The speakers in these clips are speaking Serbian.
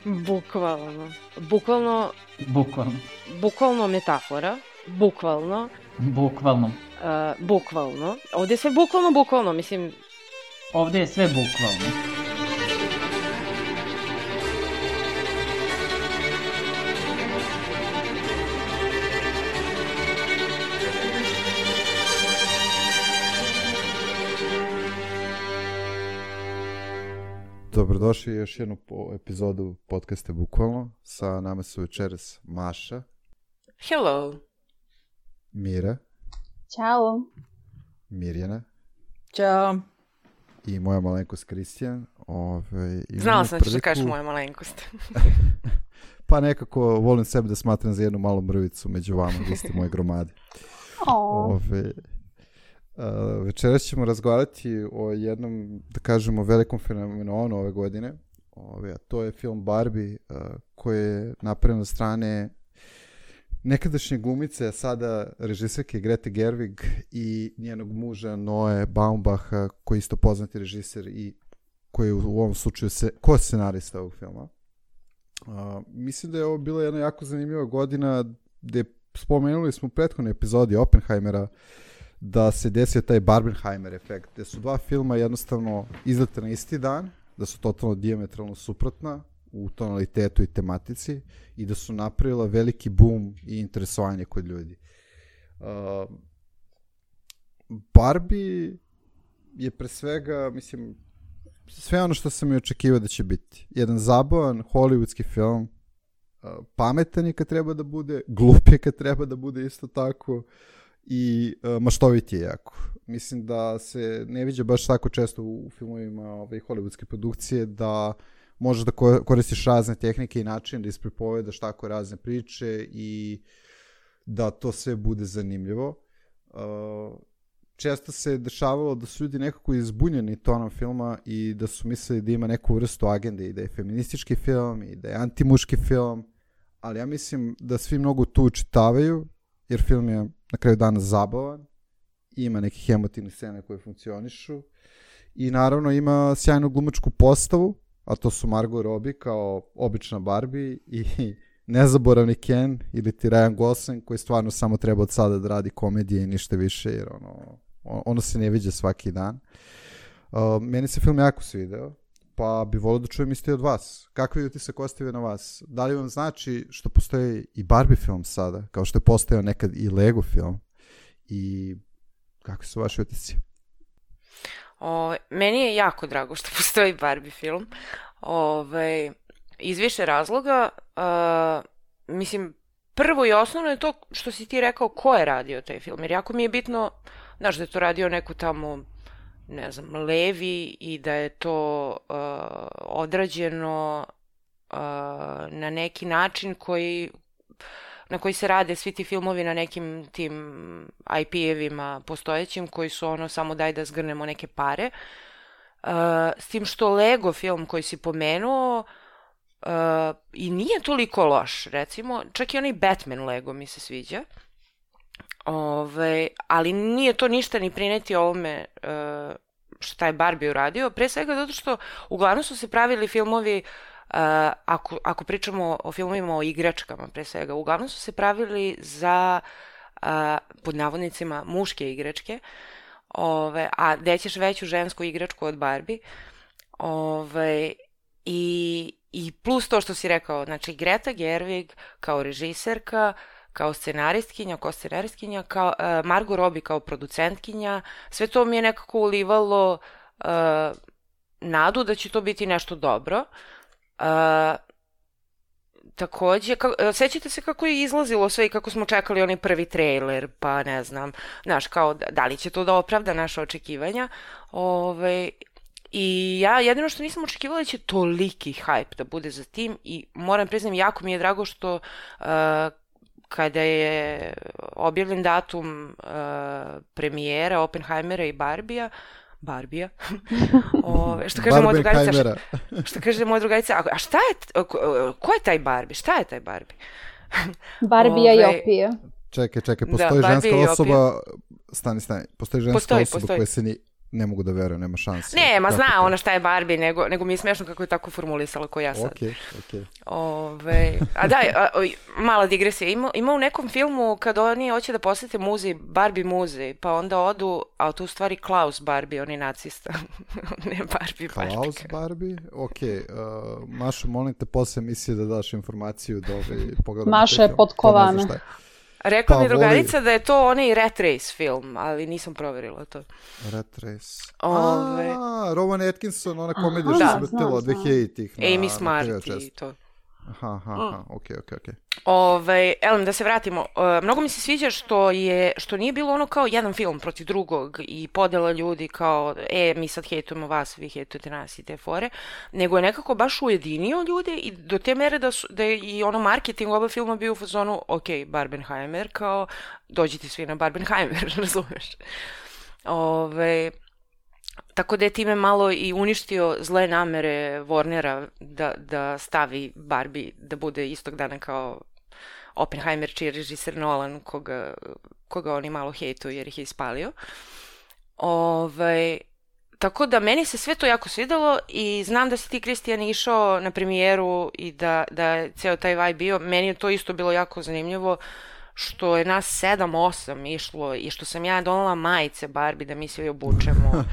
Bukvalno. Bukvalno metafora. Bukvalno. Ovdje je sve bukvalno, mislim... Ovdje je sve bukvalno. Dobrodošli još jednu epizodu podcasta Bukvalno. Sa nama su večeras Maša. Hello. Mira. Ćao. Mirjana. Ćao. I moja malenkost Kristijan. Znala sam da ćeš da kažeš moja malenkost. Pa nekako volim sebe da smatram za jednu malu mrvicu među vama, vi ste moje gromade. Večeras ćemo razgovarati o jednom, da kažemo, velikom fenomenu ove godine. A to je film Barbie, koji je napravljen od strane nekadašnje glumice, a sada režiserke Grete Gerwig i njenog muža Noe Baumbacha, koji je isto poznati režiser i koji je u ovom slučaju ko-scenarista ovog filma. Mislim da je ovo bila jedna jako zanimljiva godina gde spomenuli smo u prethodnoj epizodi Oppenheimera da se desio taj Barbenheimer efekt, gde su dva filma jednostavno izlete na isti dan, da su totalno dijametralno suprotna u tonalitetu i tematici i da su napravila veliki boom i interesovanje kod ljudi. Barbie je pre svega, mislim, sve ono što sam i očekivao da će biti. Jedan zabavan hollywoodski film, pametan je kad treba da bude, glup je kad treba da bude isto tako, i maštovit je jako. Mislim da se ne viđa baš tako često u filmovima hollywoodske produkcije da možeš da koristiš razne tehnike i načine da ispripovedaš tako razne priče i da to sve bude zanimljivo. Često se dešavalo da su ljudi nekako izbunjeni tonom filma i da su mislili da ima neku vrstu agende i da je feministički film i da je antimuški film, ali ja mislim da svi mnogo tu učitavaju, jer film je na kraju dana zabavan, ima nekih emotivnih scena koje funkcionišu i naravno ima sjajnu glumačku postavu, a to su Margot Robbie kao obična Barbie i nezaboravni Ken ili ti Ryan Gosling koji stvarno samo treba od sada da radi komedije i ništa više, jer ono se ne viđa svaki dan. Meni se film jako svideo, pa bi volio da čujem isto od vas. Kakvi utisak ostavio na vas? Da li vam znači što postoji i Barbie film sada, kao što je postojao nekad i Lego film? I kakvi su vaši utisci? Meni je jako drago što postoji Barbie film. Iz više razloga. Mislim, prvo i osnovno je to što si ti rekao ko je radio taj film. Jer jako mi je bitno, znaš, da je to radio neko tamo, ne znam, levi i da je to odrađeno na neki način na koji se rade svi ti filmovi na nekim tim IP-evima postojećim koji su samo daj da zgrnemo neke pare. S tim što Lego film koji si pomenuo i nije toliko loš, recimo, čak i onaj Batman Lego mi se sviđa. Ali nije to ništa ni prineti ovome što je Barbie uradio, pre svega zato što uglavnom su se pravili filmovi, ako pričamo o filmovima o igračkama pre svega, uglavnom su se pravili za pod navodnicima muške igračke, a gde ćeš veću žensku igračku od Barbie, i plus to što si rekao, znači Greta Gerwig kao režiserka, kao scenaristkinja, kao Margot Robbie kao producentkinja, sve to mi je nekako ulivalo nadu da će to biti nešto dobro. Takođe, sećate se kako je izlazilo sve i kako smo čekali onaj prvi trailer, pa ne znam, znaš, kao da li će to da opravda naše očekivanja. I ja jedino što nisam očekivala da će toliki hype da bude za tim i moram priznam, jako mi je drago što kada je objavljen datum premijera Oppenheimera i Barbija, što kaže moja drugarica, a šta je, ko je taj Barbie, šta je taj Barbie? Barbija i Opija. Čekaj, postoji ženska osoba, stani, postoji ženska osoba koja se ne mogu da verujem, nema šanse. Ne, ma zna ona šta je Barbie, nego mi je smešno kako je tako formulisala ko ja sad. Okej. A da, mala digresija. Ima u nekom filmu kad oni hoće da posete muzej, Barbie muzej, pa onda odu, a to u stvari Klaus Barbie, on je nacista. Ne Barbie. Klaus Barbie? Okej. Mašo, molim te posle emisije da daš informaciju da pogledam. Maša je potkovana. Rekla mi drugarica da je to onaj Rat Race film, ali nisam proverila to. Rat Race. Rowan Atkinson, ona komedija što se vrtila od 2000-ih. Amy Smart i to. Okej. Elem, da se vratimo. Mnogo mi se sviđa što nije bilo ono kao jedan film protiv drugog i podela ljudi kao, mi sad hejtujemo vas, vi hejtujete nas i te fore, nego je nekako baš ujedinio ljude i do te mere da je i ono marketing oba filma bio u fazonu, Barbenheimer, kao, dođite svi na Barbenheimer, razumeš? Tako da je time malo i uništio zle namere Warnera da stavi Barbie da bude istog dana kao Oppenheimer, čiji je režiser Nolan, koga oni malo hejtuju jer ih je ispalio. Tako da meni se sve to jako svidelo i znam da si ti, Kristijan, išao na premijeru i da je ceo taj vibe bio. Meni je to isto bilo jako zanimljivo što je nas 7-8 išlo i što sam ja donela majice Barbie da mi se obučemo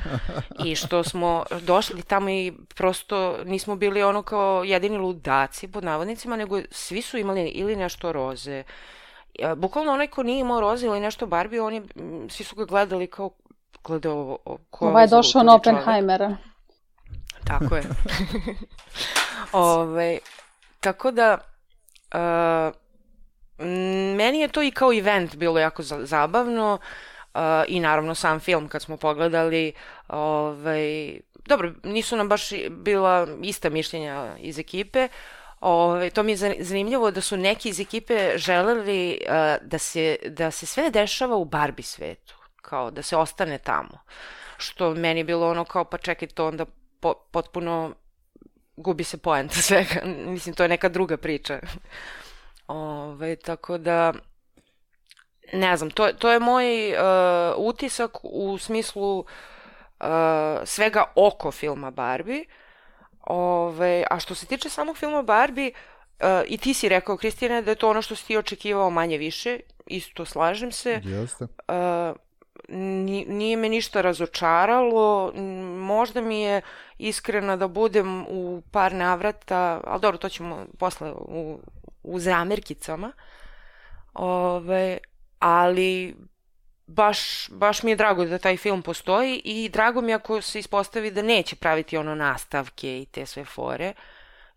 i što smo došli tamo i prosto nismo bili ono kao jedini ludaci pod navodnicima, nego svi su imali ili nešto roze. Bukvalno onaj ko nije imao roze ili nešto Barbie, svi su ga gledali kao Ovo je došao na Oppenheimera. Tako je. Tako da meni je to i kao event bilo jako zabavno i naravno sam film kad smo pogledali, dobro, nisu nam baš bila ista mišljenja iz ekipe, to mi je zanimljivo da su neki iz ekipe želeli da se sve dešava u Barbie svetu, kao da se ostane tamo, što meni je bilo ono kao pa čekaj, to onda potpuno gubi se poenta svega, mislim to je neka druga priča. Tako da ne znam, to je moj utisak u smislu svega oko filma Barbie. A što se tiče samog filma Barbie, i ti si rekao, Kristijane, da je to ono što si ti očekivao manje više, isto slažem se. Jeste. Nije me ništa razočaralo, možda mi je iskrena da budem u par navrata, ali dobro, to ćemo posle u zamerkicama, ali baš mi je drago da taj film postoji i drago mi je ako se ispostavi da neće praviti ono nastavke i te sve fore,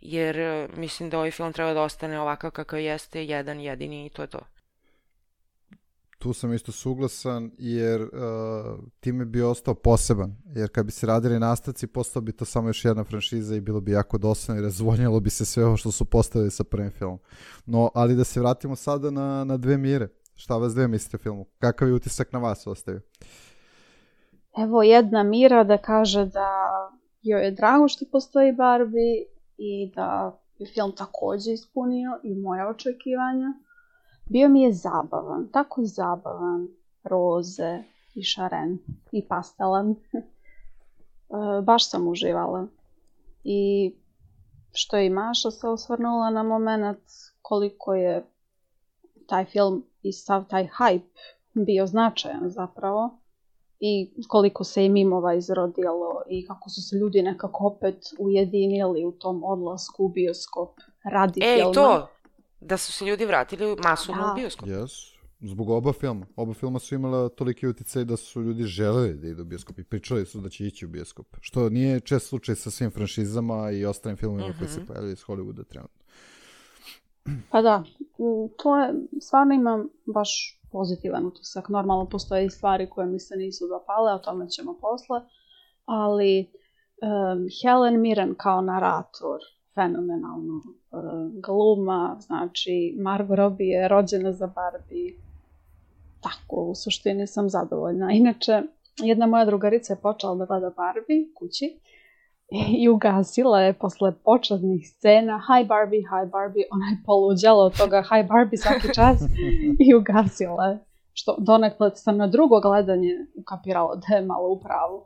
jer mislim da ovaj film treba da ostane ovakav kakav jeste, jedan jedini i to je to. Tu sam isto suglasan jer time bi ostao poseban, jer kad bi se radili nastavci postao bi to samo još jedna franšiza i bilo bi jako dosadno i razvonjalo bi se sve ovo što su postavili sa prvim filmom. No, ali da se vratimo sada na dve Mire. Šta vas dve mislite o filmu? Kakav je utisak na vas ostavio? Evo jedna Mira da kaže da joj je drago što postoji Barbie i da je film također ispunio i moje očekivanja. Bio mi je zabavan, tako zabavan, roze i šaren i pastelan. Baš sam uživala. I što je i Maša se osvrnula na moment koliko je taj film i sav taj hype bio značajan zapravo i koliko se i mimova izrodilo i kako su se ljudi nekako opet ujedinili u tom odlasku u bioskop radi filma. To! Da su se ljudi vratili masovno u bioskop. Yes. Zbog oba filma. Oba filma su imala toliki uticaj da su ljudi želeli da idu u bioskop i pričali su da će ići u bioskop. Što nije čest slučaj sa svim franšizama i ostalim filmima koji se pojavljaju iz Hollywooda trenutno. Pa da, to je, stvarno imam baš pozitivan utisak. Normalno postoje i stvari koje mi se nisu dopale, o tome ćemo posle, ali Helen Mirren kao narator, fenomenalno gluma, znači Margot Robbie je rođena za Barbie, tako u suštini sam zadovoljna. Inače, jedna moja drugarica je počela da gleda Barbie kući i ugasila je posle početnih scena Hi Barbie, ona je poluđala od toga Hi Barbie svaki čas i ugasila je. Što donekle sam na drugo gledanje ukapirala da je malo u pravu.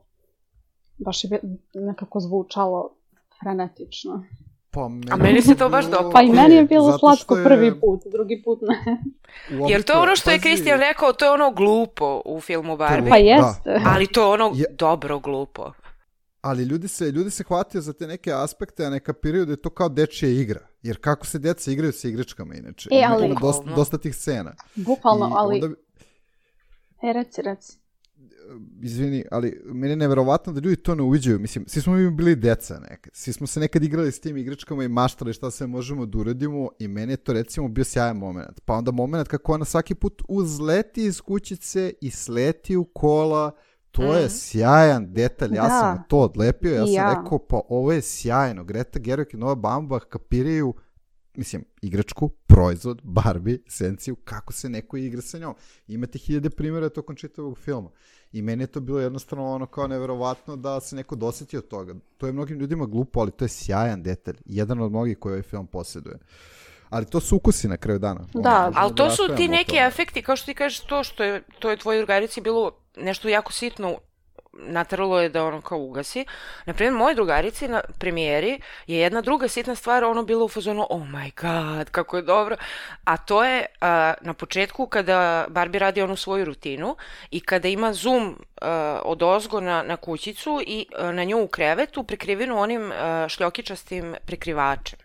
baš je nekako zvučalo frenetično. Pa A meni se to baš dopalo. Pa i meni je bilo slatko prvi put, drugi put ne. Jer to je ono što je Kristijan rekao, to je ono glupo u filmu Barbie. Pa jeste. Ali to je ono dobro glupo. Ali ljudi se hvataju za te neke aspekte, a ne kapiraju da je to kao dečija igra. Jer kako se deca igraju sa igračkama inače. Ali... Ima dosta tih scena. Bukvalno, ali... Onda... Reci. Izvini, ali meni je neverovatno da ljudi to ne uviđaju. Mislim, svi smo mi bili deca nekad. Svi smo se nekad igrali s tim igračkama i maštali šta sve možemo da uradimo i meni je to recimo bio sjajan moment. Pa onda moment kako ona svaki put uzleti iz kućice i sleti u kola. To je sjajan detalj. Ja sam to odlepio. Ja sam rekao, pa ovo je sjajno. Greta Gerwig i Noah Baumbach kapiraju, mislim, igračku, proizvod, Barbie, esenciju, kako se neko igra sa njom. Imate 1000 primjera tokom čitavog filma. I meni je to bilo jednostavno ono kao neverovatno da se neko dosjetio od toga. To je mnogim ljudima glupo, ali to je sjajan detalj. Jedan od mnogih koji ovaj film posjeduje. Ali to su ukusi na kraju dana. Da, ali to su ti neki efekti, kao što ti kažeš to je tvojoj drugarici bilo nešto jako sitno, natralo je da ono kao ugasi. Naprimjer, mojoj drugarici na premijeri je jedna druga sitna stvar ono bilo u fazonu oh my god, kako je dobro. A to je na početku kada Barbie radi onu svoju rutinu i kada ima zoom odozgo na kućicu i na nju u krevetu prekrivenu onim šljokičastim prekrivačem.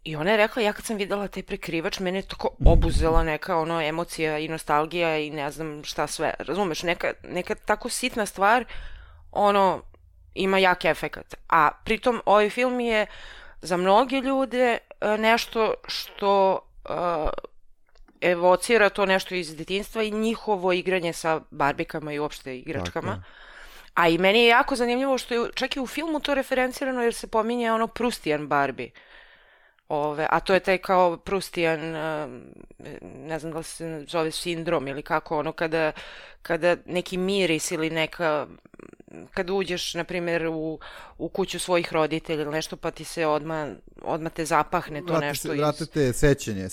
I ona je rekla, ja kad sam videla taj prekrivač, mene je tako obuzela neka ono emocija i nostalgija i ne znam šta sve. Razumeš, neka tako sitna stvar, ono, ima jak efekat. A pritom ovaj film je za mnoge ljude nešto što evocira to nešto iz detinjstva i njihovo igranje sa barbikama i uopšte igračkama. Tako. A i meni je jako zanimljivo što je čak i u filmu to referencirano jer se pominje ono Prustijan Barbie. A to je taj kao Prustijan, ne znam da li se zove sindrom ili kako, ono kada neki miris ili neka, kada uđeš, na primjer, u kuću svojih roditelja ili nešto, pa ti se odmah te zapahne to nešto. Vratite sećanje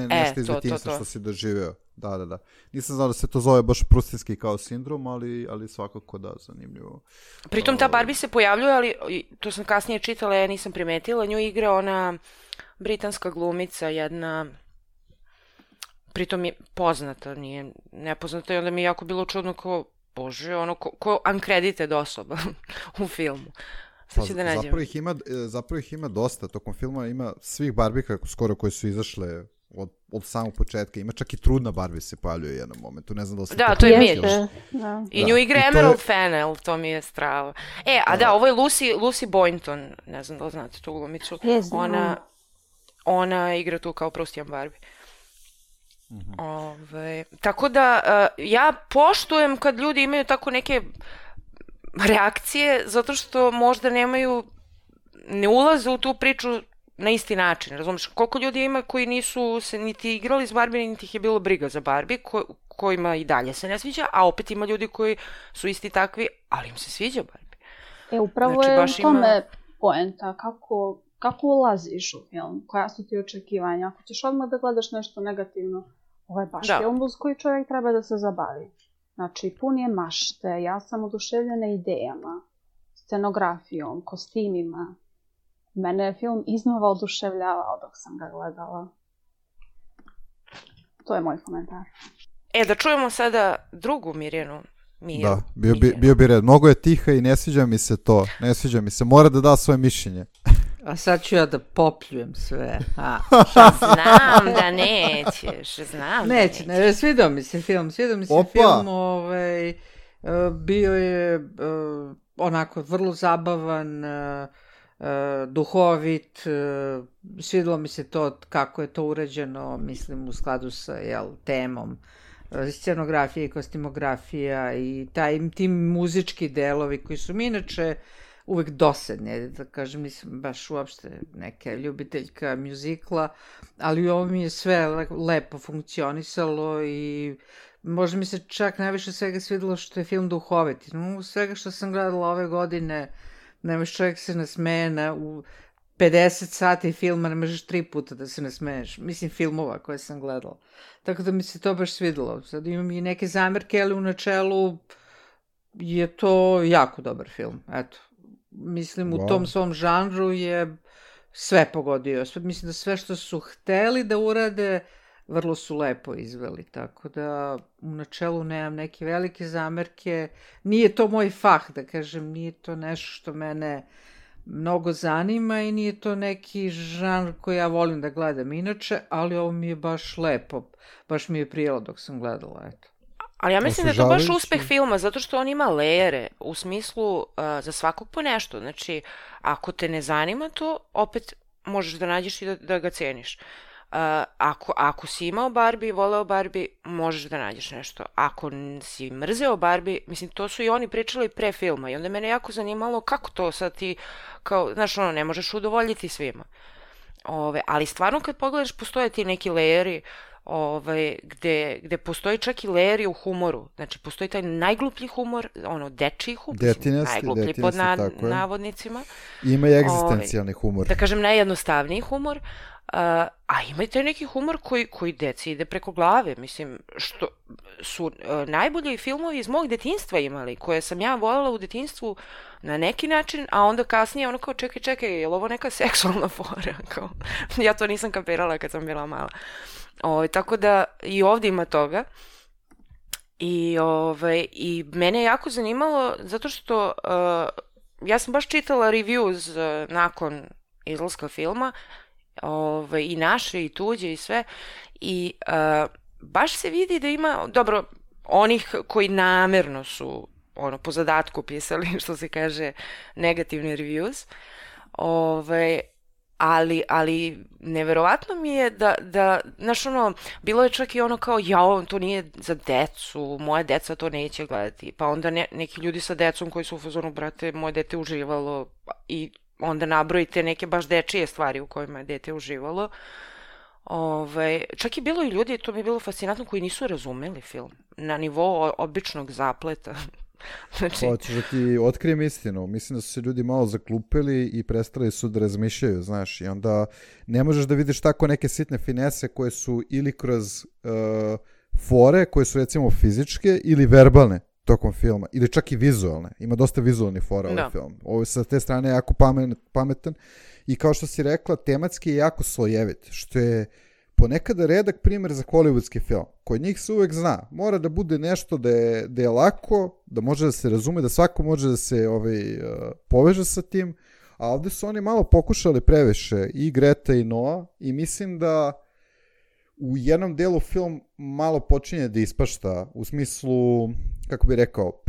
nešto iz detinjstva što si doživeo. Da. Nisam znao da se to zove baš prustinski kao sindrom, ali svakako da, zanimljivo. Pritom ta Barbie se pojavljuje, ali to sam kasnije čitala, ja nisam primetila, nju igra ona britanska glumica, jedna, pritom je poznata, nije nepoznata i onda mi je jako bilo čudno kao, bože, ono, ko uncredited osoba u filmu. Sad ću da nađem. Zapravo ih ima dosta, tokom filma ima svih Barbika skoro koje su izašle od samog početka, ima čak i trudna Barbie se pojavljuje u jednom momentu, ne znam da li se to je Mitch. I nju igra Emerald Fennell, to mi je strava. Ovo je Lucy Boynton, ne znam da li znate tu glumicu. Ona igra tu kao Prustijan Barbie. Tako da ja poštujem kad ljudi imaju tako neke reakcije, zato što možda ne ulaze u tu priču na isti način, razumiješ? Koliko ljudi ima koji nisu se niti igrali s Barbie, niti ih je bilo briga za Barbie, kojima i dalje se ne sviđa, a opet ima ljudi koji su isti takvi, ali im se sviđa Barbie. Upravo je u tome poenta, kako ulaziš u film, koja su ti očekivanja. Ako ćeš odmah da gledaš nešto negativno, ovo je baš film uz koji čovjek treba da se zabavi. Znači, pun je mašte, ja sam oduševljena idejama, scenografijom, kostimima. Mene je film iznova oduševljavao dok sam ga gledala. To je moj komentar. Da čujemo sada drugu Mirjanu. Da, bio bi red. Mnogo je tiha i ne sviđa mi se to. Ne sviđa mi se. Mora da da svoje mišljenje. A sad ću ja da popljujem sve. Znam da nećeš. Neće. Svidao mi se film. Bio je onako vrlo zabavan, duhovit, svidilo mi se to kako je to urađeno, mislim, u skladu sa temom scenografije i kostimografija i ti muzički delovi koji su mi inače uvek dosadne, da kažem, nisam baš uopšte neka ljubiteljka mjuzikla, ali ovo mi je sve lepo funkcionisalo i možda mi se čak najviše svega svidilo što je film duhovit. Svega što sam gledala ove godine, nemaš čovjek se nasmeje u 50 sati filma, ne možeš 3 puta da se nasmeješ. Mislim, filmova koje sam gledala. Tako da mi se to baš svidilo. Sad imam i neke zamerke, ali u načelu je to jako dobar film, eto. Mislim, u tom svom žanru je sve pogodio. Mislim da sve što su hteli da urade, vrlo su lepo izveli, tako da u načelu nemam neke velike zamerke. Nije to moj fah, da kažem, nije to nešto što mene mnogo zanima i nije to neki žanr koji ja volim da gledam inače, ali ovo mi je baš lepo. Baš mi je prijelo dok sam gledala, eto. Ali ja mislim da je to baš uspeh filma, zato što on ima lejere, u smislu za svakog po nešto. Znači, ako te ne zanima to, opet možeš da nađeš i da ga ceniš. Ako si imao Barbie i voleo Barbie, možeš da nađeš nešto. Ako si mrzeo Barbie, mislim, to su i oni pričali pre filma i onda mene jako zanimalo kako to sad ti, kao, znaš, ono, ne možeš udovoljiti svima. Ali stvarno kad pogledaš, postoje ti neki lejeri gde postoji čak i lejeri u humoru. Znači, postoji taj najgluplji humor, ono, dečiji humor, najgluplji pod navodnicima. Ima i egzistencijalni humor. Da kažem, najjednostavniji humor. A ima i taj neki humor koji deci ide preko glave, mislim, što su najbolji filmovi iz mog detinjstva imali, koje sam ja voljela u detinjstvu na neki način, a onda kasnije ono kao čekaj, je li ovo neka seksualna fora? Kao, ja to nisam kapirala kad sam bila mala. Tako da i ovdje ima toga. I mene je jako zanimalo, zato što ja sam baš čitala reviews nakon izlaska filma, i naše i tuđe i sve, i baš se vidi da ima, dobro, onih koji namerno su po zadatku pisali, što se kaže, negativni reviews, ali neverovatno mi je da, znaš, bilo je čak i ono kao, to nije za decu, moja deca to neće gledati, pa onda neki ljudi sa decom koji su u fazonu, brate, moje dete uživalo, i onda nabrojite neke baš dečije stvari u kojima je dete uživalo. Čak je bilo i ljudi, to mi je bilo fascinantno, koji nisu razumeli film na nivou običnog zapleta. Znači... Hoćeš da ti otkrijem istinu. Mislim da su se ljudi malo zaklupili i prestali su da razmišljaju, znaš, i onda ne možeš da vidiš tako neke sitne finese koje su ili kroz fore, koje su recimo fizičke ili verbalne tokom filma, ili čak i vizualne. Ima dosta vizualnih fora ovaj film. Ovo sa te strane je jako pametan i kao što si rekla, tematski je jako slojevit, što je ponekada redak primjer za hollywoodski film. Kod njih se uvek zna. Mora da bude nešto da je lako, da može da se razume, da svako može da se poveže sa tim, a ovdje su oni malo pokušali previše, i Greta i Noah, i mislim da u jednom delu film malo počinje da ispašta, u smislu, kako bi rekao,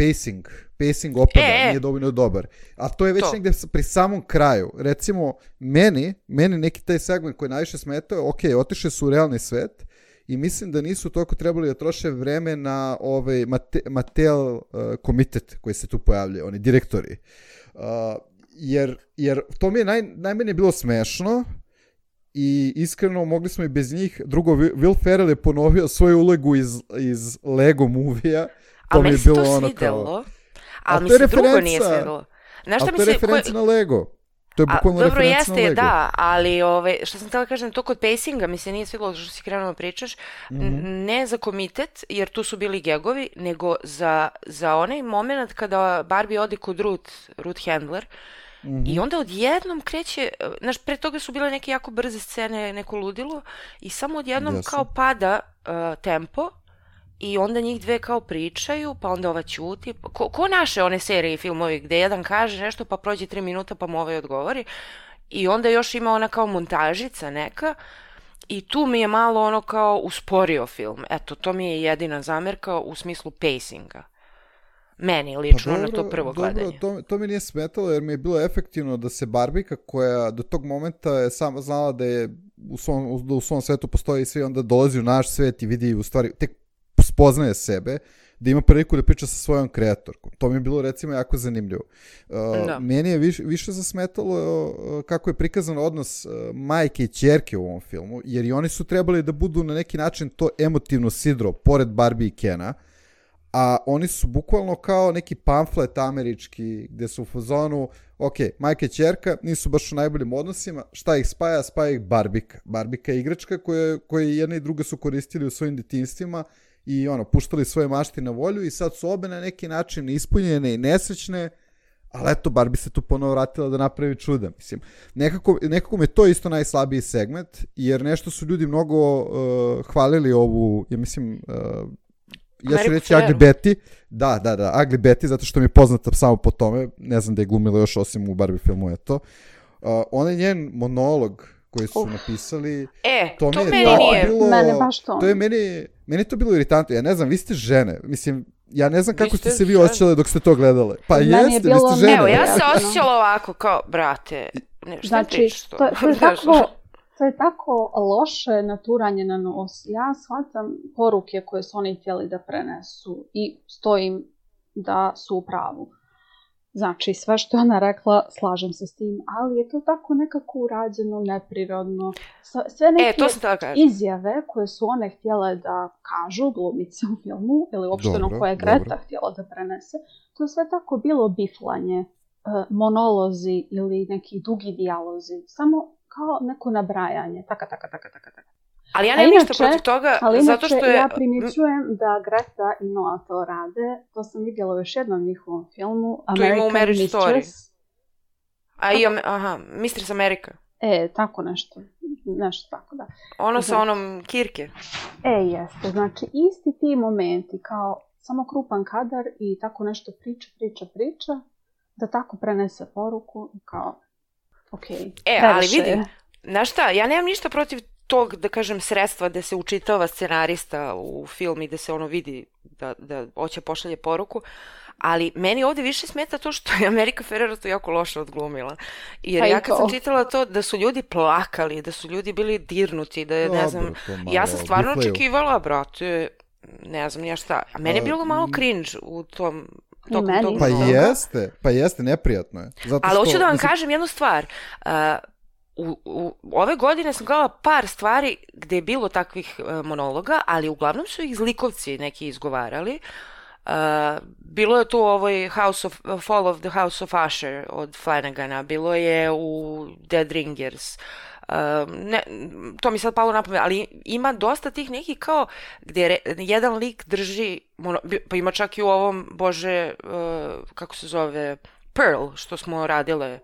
pacing opada, nije dovoljno dobar. A to je već negdje pri samom kraju. Recimo, meni neki taj segment koji najviše smetao, otišli su u realni svet i mislim da nisu toliko trebali da troše vreme na Mattel komitet koji se tu pojavljaju, oni direktori. Jer to mi je najmanje bilo smešno, i iskreno mogli smo i bez njih. Drugo, Will Ferrell je ponovio svoju ulogu iz Lego movie-a. Ali meni se to svidelo. Ali mi se drugo nije svidelo. Ali to je referenca na Lego. To je bukvalno referenca na Lego. Dobro, jeste, da, ali što sam htjela kažem, to kod pacinga mi se nije svidelo što si krenuo pričaš, ne za komitet, jer tu su bili gegovi, nego za onaj moment kada Barbie ode kod Ruth Handler, i onda odjednom kreće, znaš, pre toga su bile neke jako brze scene, neko ludilo, i samo odjednom kao pada tempo, i onda njih dve kao pričaju, pa onda ova ćuti, ko naše one serije i filmovi gde jedan kaže nešto, pa prođe 3 minuta, pa mu ovaj odgovori, i onda još ima ona kao montažica neka, i tu mi je malo ono kao usporio film. Eto, to mi je jedina zamerka u smislu pacinga. Meni lično na to prvo gledanje. Dobro, to mi nije smetalo jer mi je bilo efektivno da se Barbika, koja do tog momenta je sama znala da je u svom svetu postoji i svi, onda dolazi u naš svet i vidi u stvari, tek spoznaje sebe, da ima priliku da priča sa svojom kreatorkom. To mi je bilo recimo jako zanimljivo. Meni je više zasmetalo kako je prikazan odnos majke i ćerke u ovom filmu, jer i oni su trebali da budu na neki način to emotivno sidro, pored Barbie i Kena, a oni su bukvalno kao neki pamflet američki, gde su u fazonu, majka i ćerka nisu baš u najboljim odnosima, šta ih spaja? Spaja ih Barbika. Barbika je igračka koju jedna i druga su koristili u svojim detinstvima i puštali svoje mašti na volju i sad su obe na neki način ispunjene i nesrećne, ali eto, Barbie se tu ponovo vratila da napravi čuda. Mislim, nekako mi je to isto najslabiji segment, jer nešto su ljudi mnogo hvalili ovu, ja mislim, ja ću reći Ugly Betty. Da, Ugly Betty, zato što mi je poznata samo po tome, ne znam da je glumila još osim u Barbie filmu, eto. Onaj njen monolog koji su napisali, to meni nije. Mene baš to. To je meni to bilo iritantno. Ja ne znam, vi ste žene. Mislim, ja ne znam kako ste se vi osjećale dok ste to gledale. Pa jeste, vi ste žene. Evo, ja se osjećala ovako kao, brate, šta pričaš to? To je tako loše naturanje na nos. Ja shvatam poruke koje su oni htjeli da prenesu i stojim da su u pravu. Znači, sve što je ona rekla, slažem se s tim, ali je to tako nekako urađeno, neprirodno. Sve neke izjave koje su one htjele da kažu, glumice u filmu, ili uopšteno koje je Greta htjela da prenese, to je sve tako bilo biflanje, monolozi ili neki dugi dijalozi, samo kao neko nabrajanje, taka. Ali ja nemam ništa protiv toga, zato što je... ja primjećujem da Greta i Noah to rade. To sam vidjela u još jednom njihovom filmu. American Mistress. Mistress America. Tako nešto. Nešto tako, da. Ono sa onom Kirke. Jeste. Znači, isti ti momenti, kao samo krupan kadar i tako nešto priča, da tako prenese poruku, kao, ali vidi, znaš šta, ja nemam ništa protiv tog, da kažem, sredstva da se učitava scenarista u film i da se vidi da hoće pošalje poruku, ali meni ovdje više smeta to što je America Ferrera to jako loše odglumila. Jer ja kad sam čitala to da su ljudi plakali, da su ljudi bili dirnuti, da ne znam, ja sam stvarno očekivala, brate, ne znam ja šta, a meni je bilo malo cringe u tom Pa jeste, neprijatno je. Ali hoću da vam kažem jednu stvar. Ove godine sam gledala par stvari gdje je bilo takvih monologa, ali uglavnom su ih zlikovci neki izgovarali. Bilo je tu ovoj Fall of the House of Usher od Flanagana, bilo je u Dead Ringers. To mi sad palo na pamet, ali ima dosta tih nekih kao gdje jedan lik drži, pa ima čak i u ovom, bože, kako se zove, Pearl, što smo radile,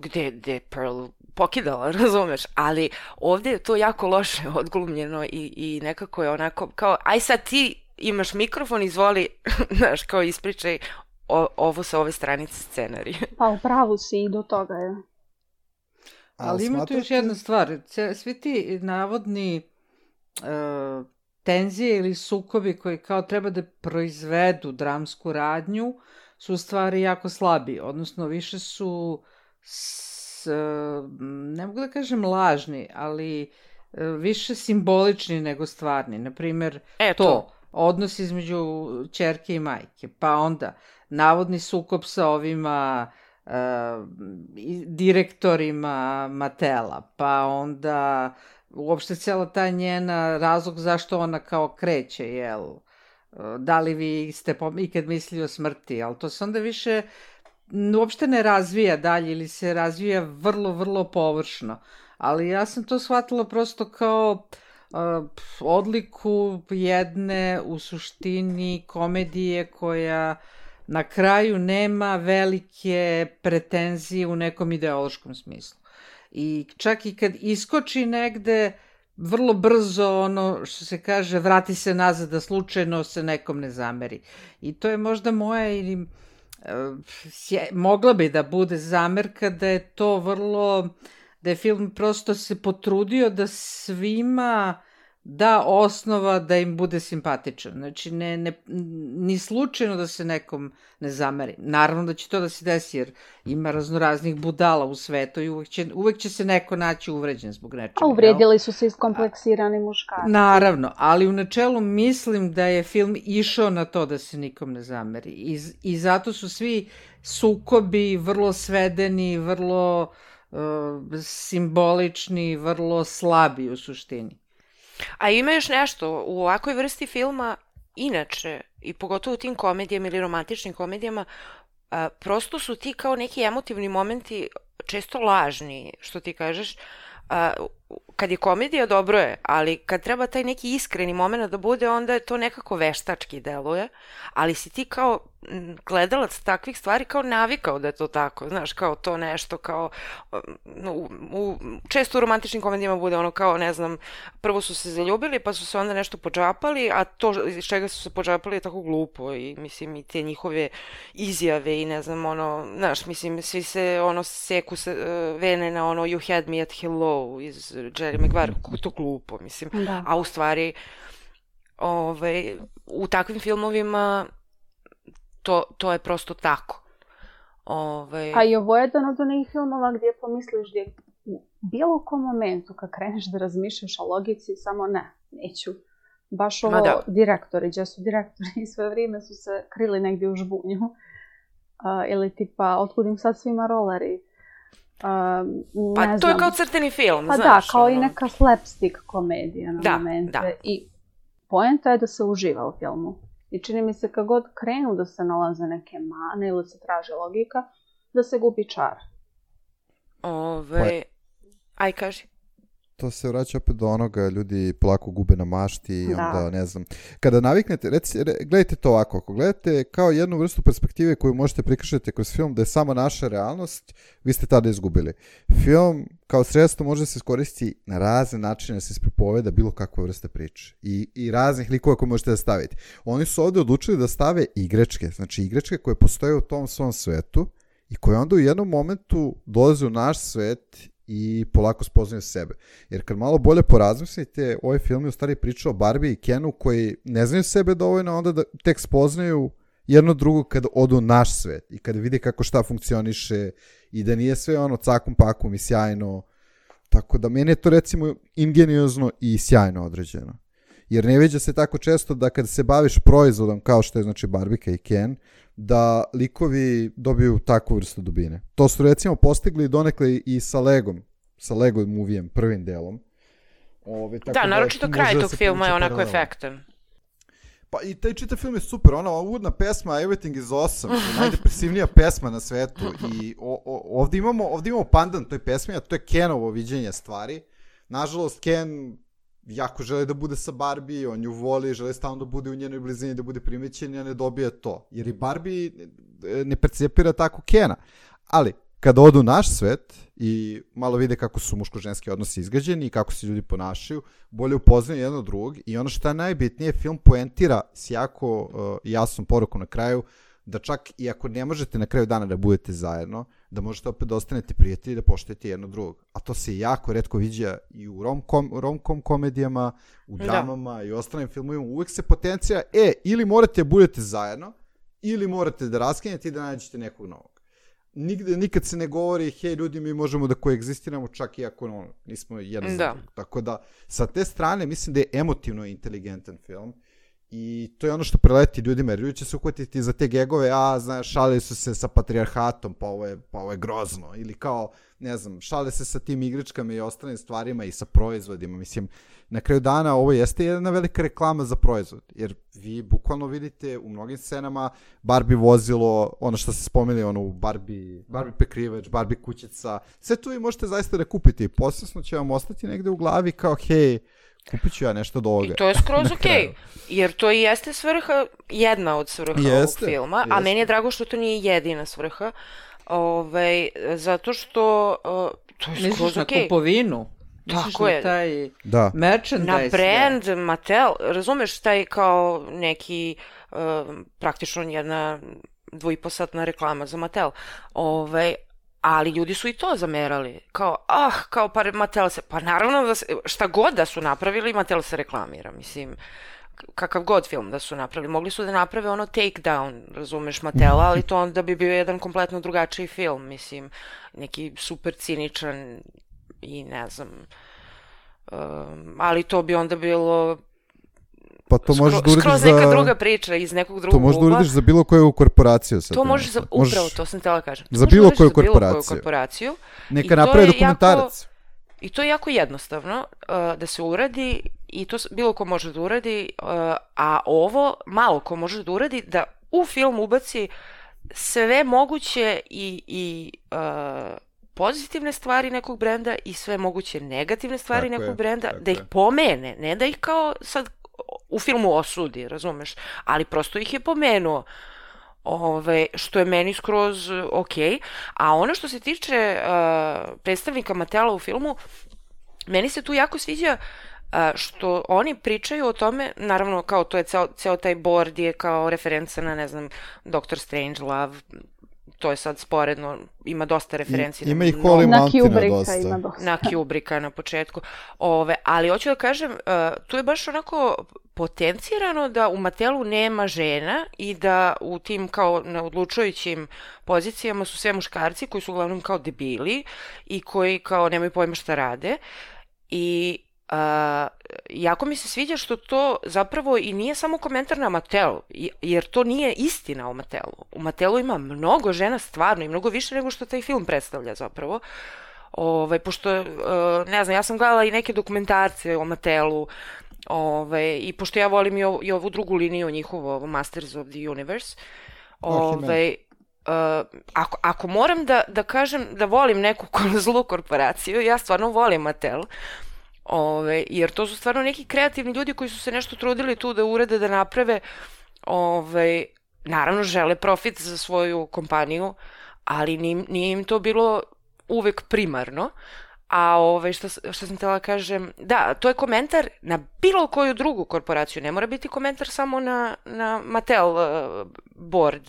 gdje je Pearl pokidala, razumeš, ali ovdje je to jako loše odglumljeno i nekako je onako kao, aj sad ti imaš mikrofon, izvoli, znaš, kao ispričaj ovo sa ove stranice scenarija. Pa u pravu si i do toga je. Ali ima tu još jedna stvar, svi ti navodni tenzije ili sukobi koji kao treba da proizvedu dramsku radnju su u stvari jako slabi, odnosno više su, ne mogu da kažem lažni, ali više simbolični nego stvarni. Naprimjer, to odnos između ćerke i majke, pa onda navodni sukob sa ovima direktorima Matela, pa onda uopšte cijela ta njena razlog zašto ona kao kreće, jel? Da li vi ste ikad mislili o smrti, ali to se onda više uopšte ne razvija dalje ili se razvija vrlo, vrlo površno. Ali ja sam to shvatila prosto kao odliku jedne u suštini komedije koja na kraju nema velike pretenzije u nekom ideološkom smislu. I čak i kad iskoči negde, vrlo brzo, ono što se kaže, vrati se nazad da slučajno se nekom ne zameri. I to je možda moja ili mogla bi da bude zamerka da je to vrlo, da je film prosto se potrudio da svima da osnova da im bude simpatičan. Znači, ni slučajno da se nekom ne zameri. Naravno da će to da se desi, jer ima raznoraznih budala u svetu i uvek će se neko naći uvređen zbog nečega. A uvredili su se iskompleksirani muškarci. Naravno, ali u načelu mislim da je film išao na to da se nikom ne zameri. I zato su svi sukobi vrlo svedeni, vrlo simbolični, vrlo slabi u suštini. A ima još nešto, u ovakvoj vrsti filma, inače, i pogotovo u tim komedijama ili romantičnim komedijama, prosto su ti kao neki emotivni momenti često lažni, što ti kažeš. kad je komedija dobro je, ali kad treba taj neki iskreni moment da bude, onda je to nekako veštački deluje, ali si ti kao gledalac takvih stvari kao navikao da je to tako, znaš, kao to nešto, kao često u romantičnim komedijama bude ono kao, ne znam, prvo su se zaljubili pa su se onda nešto podžapali, a to iz čega su se podžapali je tako glupo i mislim i te njihove izjave i ne znam, ono, znaš, mislim, svi se ono seku se, vene na ono You had me at hello iz Jerry Maguire, kako je to glupo, mislim, Da. a u stvari u takvim filmovima to je prosto tako. A i ovo je jedan od onih filmova gdje pomisliš gdje u bilo kom momentu kad kreneš da razmišljaš o logici, samo neću. Baš ovo direktori, gdje su direktori sve vrijeme su se krili negdje u žbunju. Ili tipa, otkud im sad svima roleri. Pa to je kao crteni film, pa znaš. Da, kao i neka slapstick komedija na momente. Da. I poenta je da se uživa u filmu. I čini mi se kad god krenu da se nalaze neke mane ili se traži logika, da se gubi čar. Aj, kaži. To se vraća opet do onoga, ljudi polako gube na mašti i onda, ne znam. Kada naviknete, gledajte to ovako, ako gledate kao jednu vrstu perspektive koju možete prikažete kroz film da je samo naša realnost, vi ste tada izgubili. Film kao sredstvo može se iskoristiti na razne načine da se ispripoveda bilo kakva vrsta priče. I raznih likova koje možete da stavite. Oni su ovdje odlučili da stave igračke, znači igračke koje postoje u tom svom svetu i koje onda u jednom momentu dolaze u naš svet i polako spoznaju sebe. Jer kad malo bolje porazmislite, ovaj film je u stvari pričao o Barbie i Kenu koji ne znaju sebe dovoljno, onda da tek spoznaju jedno drugo kad odu u naš svet i kad vide kako šta funkcioniše i da nije sve ono cakum pakum i sjajno. Tako da meni je to recimo ingeniozno i sjajno određeno. Jer ne viđa se tako često da kad se baviš proizvodom kao što je znači Barbika i Ken, da likovi dobiju takvu vrstu dubine. To su recimo postigli donekle i sa Legom, sa Lego movijem, prvim delom. Da, naročito kraj tog filma je onako efektan. Pa i taj čitav film je super, ona uvodna pesma Everything is Awesome, najdepresivnija pesma na svetu i ovdje imamo pandan toj pesmi, a to je Kenovo viđenje stvari. Nažalost, Ken jako želi da bude sa Barbie, on nju voli, želi stalno da bude u njenoj blizini, da bude primećen, a ne dobije to. Jer i Barbie ne percepira tako Kena. Ali, kada odu u naš svet i malo vide kako su muško-ženski odnosi izgrađeni i kako se ljudi ponašaju, bolje upoznaju jedno drugog i ono što je najbitnije, film poentira s jako jasnom porukom na kraju, da čak i ako ne možete na kraju dana da budete zajedno, da možete opet da ostanete prijatelji i da poštujete jedno drugog. A to se jako retko viđa i u rom-com komedijama, u dramama i ostalim filmovima. Uvijek se potencija, ili morate da budete zajedno, ili morate da raskinjete i da nađete nekog novog. Nikad se ne govori, hej ljudi, mi možemo da koegzistiramo čak i ako nismo jedan za drugog. Tako da, sa te strane, mislim da je emotivno inteligentan film. I to je ono što preleti ljudima, jer ljudi će se uhvatiti za te gegove, šalili su se sa patrijarhatom, pa ovo je grozno, ili kao, ne znam, šale se sa tim igračkama i ostalim stvarima i sa proizvodima, mislim, na kraju dana ovo jeste jedna velika reklama za proizvod, jer vi bukvalno vidite u mnogim scenama Barbie vozilo, ono što se spomenuli, ono Barbie prekrivač, Barbie kućica, sve to vi možete zaista da kupite i posebno će vam ostati negde u glavi kao, hej, kupit ću ja nešto od ovoga. I to je skroz okej, jer to i jeste svrha, jedna od svrha ovog filma, a meni je drago što to nije jedina svrha, zato što to je skroz okej. Misliš na kupovinu? Tako je. Taj merchandise. Na brand, Mattel, razumeš, taj kao neki, praktično jedna 2,5-satna reklama za Mattel, ali ljudi su i to zamerali. Kao, pa Mattel se, pa naravno da se, šta god da su napravili, Mattel se reklamira, mislim, kakav god film da su napravili. Mogli su da naprave ono Takedown, razumeš, Mattela, ali to onda bi bio jedan kompletno drugačiji film, mislim, neki super ciničan i ne znam, ali to bi onda bilo pa to možeš da uradiš skroz neka druga priča iz nekog drugog ugla. To možeš da uradiš za bilo koju korporaciju. To možeš upravo to sam htjela kažem. Za bilo koju korporaciju. Neka napravi dokumentarac. I to je jako jednostavno da se uradi i to bilo ko može da uradi, a ovo malo ko može da uradi da u film ubaci sve moguće i pozitivne stvari nekog brenda i sve moguće negativne stvari nekog brenda, da ih je. pomene, ne da ih kao sad u filmu osudi, razumeš, ali prosto ih je pomenuo. Što je meni skroz ok. A ono što se tiče predstavnika Matela u filmu, meni se tu jako sviđa što oni pričaju o tome, naravno kao to je ceo taj board je kao referenca na, ne znam, Doctor Strangelove, to je sad sporedno, ima dosta referenci. Ima i Holy Mountaina dosta. Ima dosta. Na Kubricka na početku. Ali hoću da kažem, tu je baš onako potencirano da u Matelu nema žena i da u tim kao na odlučujućim pozicijama su sve muškarci koji su uglavnom kao debili i koji kao nemaju pojma šta rade. I jako mi se sviđa što to zapravo i nije samo komentar na Mattel, jer to nije istina o Mattelu. U Mattelu ima mnogo žena stvarno i mnogo više nego što taj film predstavlja zapravo. Pošto, ne znam, ja sam gledala i neke dokumentarce o Mattelu, i pošto ja volim i ovu drugu liniju njihovo, Masters of the Universe, ako moram da kažem da volim neku zlu korporaciju, ja stvarno volim Mattel, jer to su stvarno neki kreativni ljudi koji su se nešto trudili tu da urede, da naprave, naravno žele profit za svoju kompaniju, ali nije im to bilo uvek primarno. A što sam htjela kažem, da, to je komentar na bilo koju drugu korporaciju, ne mora biti komentar samo na Mattel board,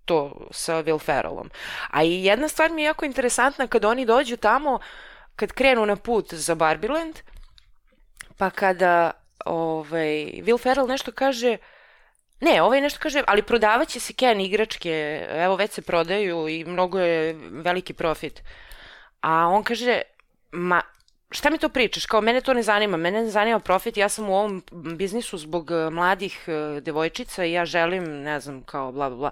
to sa Will Ferrellom. A i jedna stvar mi je jako interesantna kad oni dođu tamo, kad krenu na put za Barbieland, pa kada Will Ferrell nešto kaže, nešto kaže, ali prodavat će se Ken igračke, evo već se prodaju i mnogo je veliki profit. A on kaže, šta mi to pričaš, kao mene to ne zanima profit, ja sam u ovom biznisu zbog mladih devojčica i ja želim, ne znam, kao bla bla bla.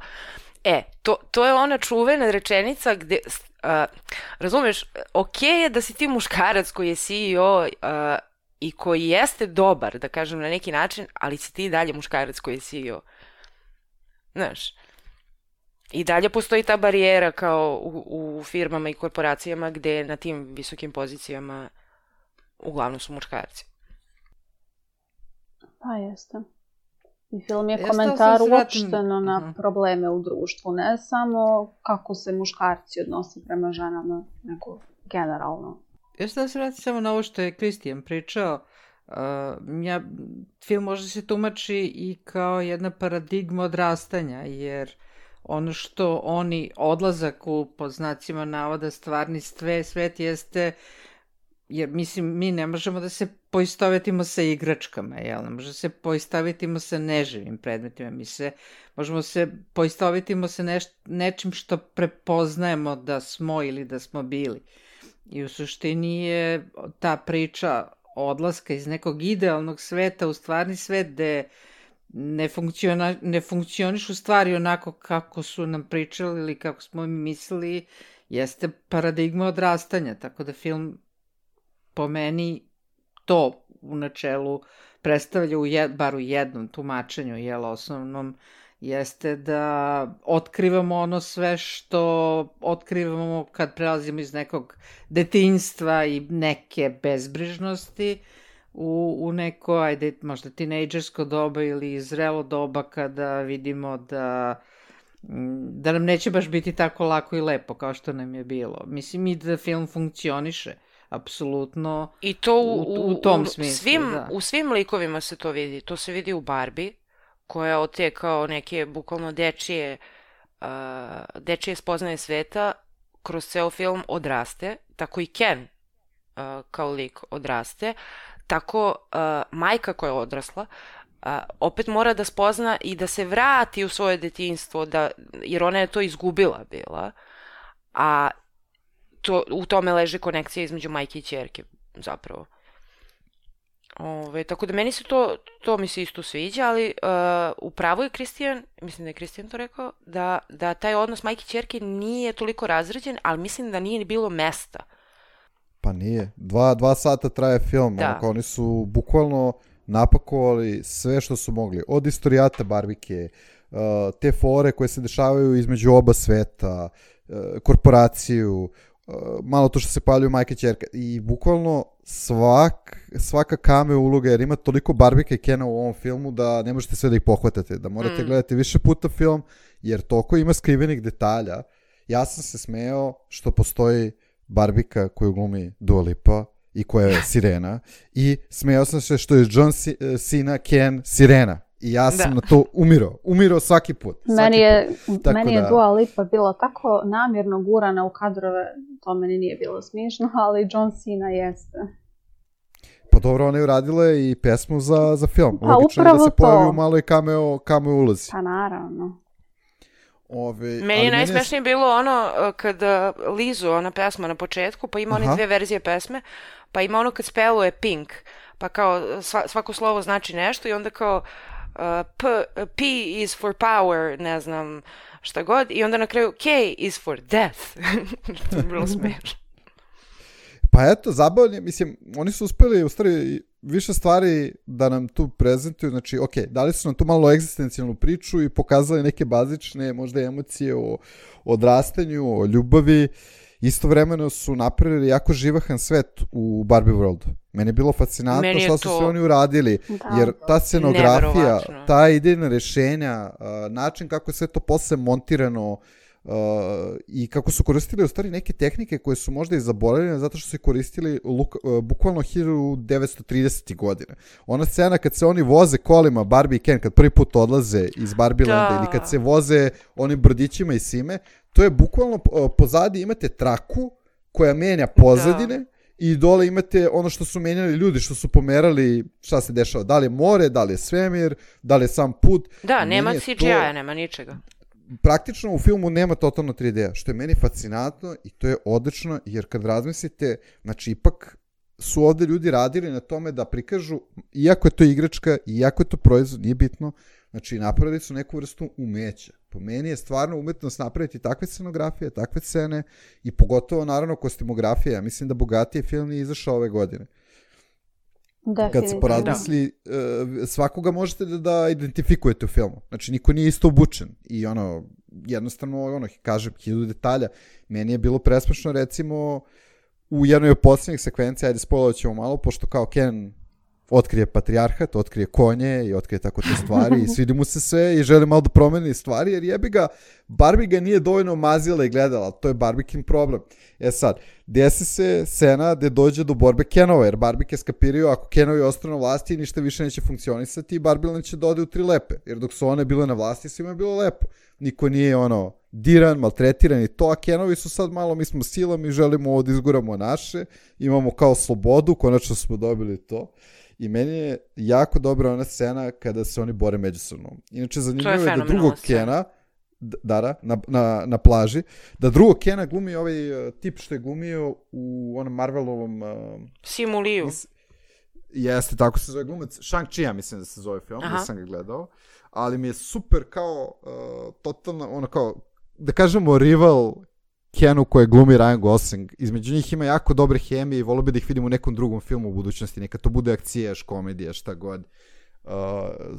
To je ona čuvena rečenica gde, razumeš, ok je da si ti muškarac koji je CEO i koji jeste dobar, da kažem na neki način, ali si ti dalje muškarac koji je CEO. Znaš, i dalje postoji ta barijera kao u firmama i korporacijama gde na tim visokim pozicijama uglavnom su muškarci. Pa jeste. I film je komentar uopšteno na probleme u društvu, ne samo kako se muškarci odnose prema ženama, nego generalno. Ja sam da se vratim samo na ovo što je Kristijan pričao. Film može se tumači i kao jedna paradigma odrastanja, jer ono što oni odlazak u, pod znacima navoda, stvarni svet jeste, jer mislim, mi ne možemo da se poistovetimo sa igračkama, jel? Ne možemo da se poistovetimo sa neživim predmetima, možemo se poistovetimo sa nečim što prepoznajemo da smo ili da smo bili. I u suštini je ta priča odlaska iz nekog idealnog sveta u stvarni svet gde ne funkcionišu stvari onako kako su nam pričali ili kako smo mi mislili, jeste paradigma odrastanja, tako da film po meni to u načelu predstavlja bar u jednom tumačenju, osnovnom, jeste da otkrivamo ono sve što otkrivamo kad prelazimo iz nekog detinjstva i neke bezbrižnosti u neko, možda tinejdžersko doba ili zrelo doba kada vidimo da nam neće baš biti tako lako i lepo kao što nam je bilo. Mislim i da film funkcioniše, apsolutno, i to u tom smislu. U svim likovima se to vidi. To se vidi u Barbie, koja od te kao neke bukvalno dečije spoznaje sveta kroz ceo film odraste, tako i Ken kao lik odraste, tako majka koja je odrasla opet mora da spozna i da se vrati u svoje detinjstvo, jer ona je to izgubila bila, a u tome leži konekcija između majke i ćerke zapravo. Tako da meni se to mi se isto sviđa, ali upravo je Kristijan, mislim da je Kristijan to rekao, da taj odnos majke i ćerke nije toliko razrađen, ali mislim da nije ni bilo mesta. Pa nije. 2 sata traje film, oni su bukvalno napakovali sve što su mogli. Od istorijata Barbike, te fore koje se dešavaju između oba sveta, korporaciju, malo to što se pojavljaju majka i ćerka. I bukvalno svaka cameo uloga, jer ima toliko Barbika i Kena u ovom filmu da ne možete sve da ih pohvatate, da morate gledati više puta film, jer toliko ima skrivenih detalja. Ja sam se smejao što postoji Barbika koju glumi Dua Lipa i koja je sirena, i smejao sam se što je John Cena Ken sirena. I ja sam na to umirao svaki put. Meni je Dua Lipa bila tako namjerno gurana u kadrove, to meni nije bilo smiješno, ali John Cena jeste. Pa dobro, ona je uradila i pesmu za film. Pa logično je da se to. pojavi u maloj cameo ulozi. Pa naravno. Meni je najsmešnije bilo ono kad Lizu, ona pesma na početku, pa ima one dve verzije pesme, pa ima ono kad speluje Pink, pa kao svako slovo znači nešto i onda kao P is for power, ne znam šta god, i onda na kraju K is for death. To je bilo smešno. Pa eto, zabavljen, mislim, oni su uspeli u stvari više stvari da nam tu prezentuju, znači, ok, dali su nam tu malo egzistencijalnu priču i pokazali neke bazične, možda emocije o odrastanju, o ljubavi. Istovremeno su napravili jako živahan svet u Barbie Worldu. Meni je bilo fascinantno što su sve oni uradili, jer ta scenografija, ta idejna rešenja, način kako je sve to posle montirano, i kako su koristili u stvari neke tehnike koje su možda i zaboravljene zato što su koristili bukvalno 1930. godine. Ona scena kad se oni voze kolima, Barbie i Ken, kad prvi put odlaze iz Barbielanda ili kad se voze onim brodićima i sime, to je bukvalno pozadi imate traku koja menja pozadine i dole imate ono što su menjali ljudi, što su pomerali šta se dešava, da li je more, da li je svemir, da li je sam put. Da, nema CGI-a, nema ničega. Praktično u filmu nema totalno 3D-a, što je meni fascinantno i to je odlično, jer kad razmislite, znači ipak su ovde ljudi radili na tome da prikažu, iako je to igračka, iako je to proizvod, nije bitno, znači napravili su neku vrstu umeća. Po meni je stvarno umetnost napraviti takve scenografije, takve scene i pogotovo naravno kostimografije. Ja mislim da bogatiji film nije izašao ove godine. Kad se porazmisli, svakoga možete da identifikujete u filmu. Znači, niko nije isto obučen. I jednostavno, kažem, 1000 detalja. Meni je bilo presmešno, recimo, u jednoj od posljednjih sekvencija, ajde spoilovat ćemo malo, pošto kao Ken otkrije patrijarhat, otkrije konje i otkrije tako te stvari i svidi mu se sve i želi malo da promeni stvari, jer jebi ga, Barbie ga nije dovoljno mazila i gledala, to je Barbikin problem. Sad, desi se scena gde dođe do borbe Kenova, jer Barbike skapiraju, ako Kenovi ostanu na vlasti, ništa više neće funkcionisati i Barbie će da ode u 3 lepe, jer dok su one bile na vlasti, svima je bilo lepo. Niko nije diran, maltretiran i to, a Kenovi su sad malo, mi smo silom i želimo ovo da izguramo naše, imamo kao slobodu, konačno smo dobili to. I meni je jako dobra ona scena kada se oni bore međusobno. Inače, zanimljivo je da drugog Kena, na plaži, da drugog Kena glumi ovaj tip što je glumio u onom Marvelovom... Simu Liu. Jeste, tako se zove glumac. Shang-Chi, ja mislim da se zove film, nisam ga gledao. Ali mi je super kao, totalno, da kažemo, rival Kenu koje glumi Ryan Gosling. Između njih ima jako dobre hemije i volio bi da ih vidim u nekom drugom filmu u budućnosti. Neka to bude akcijaš, komedija, šta god.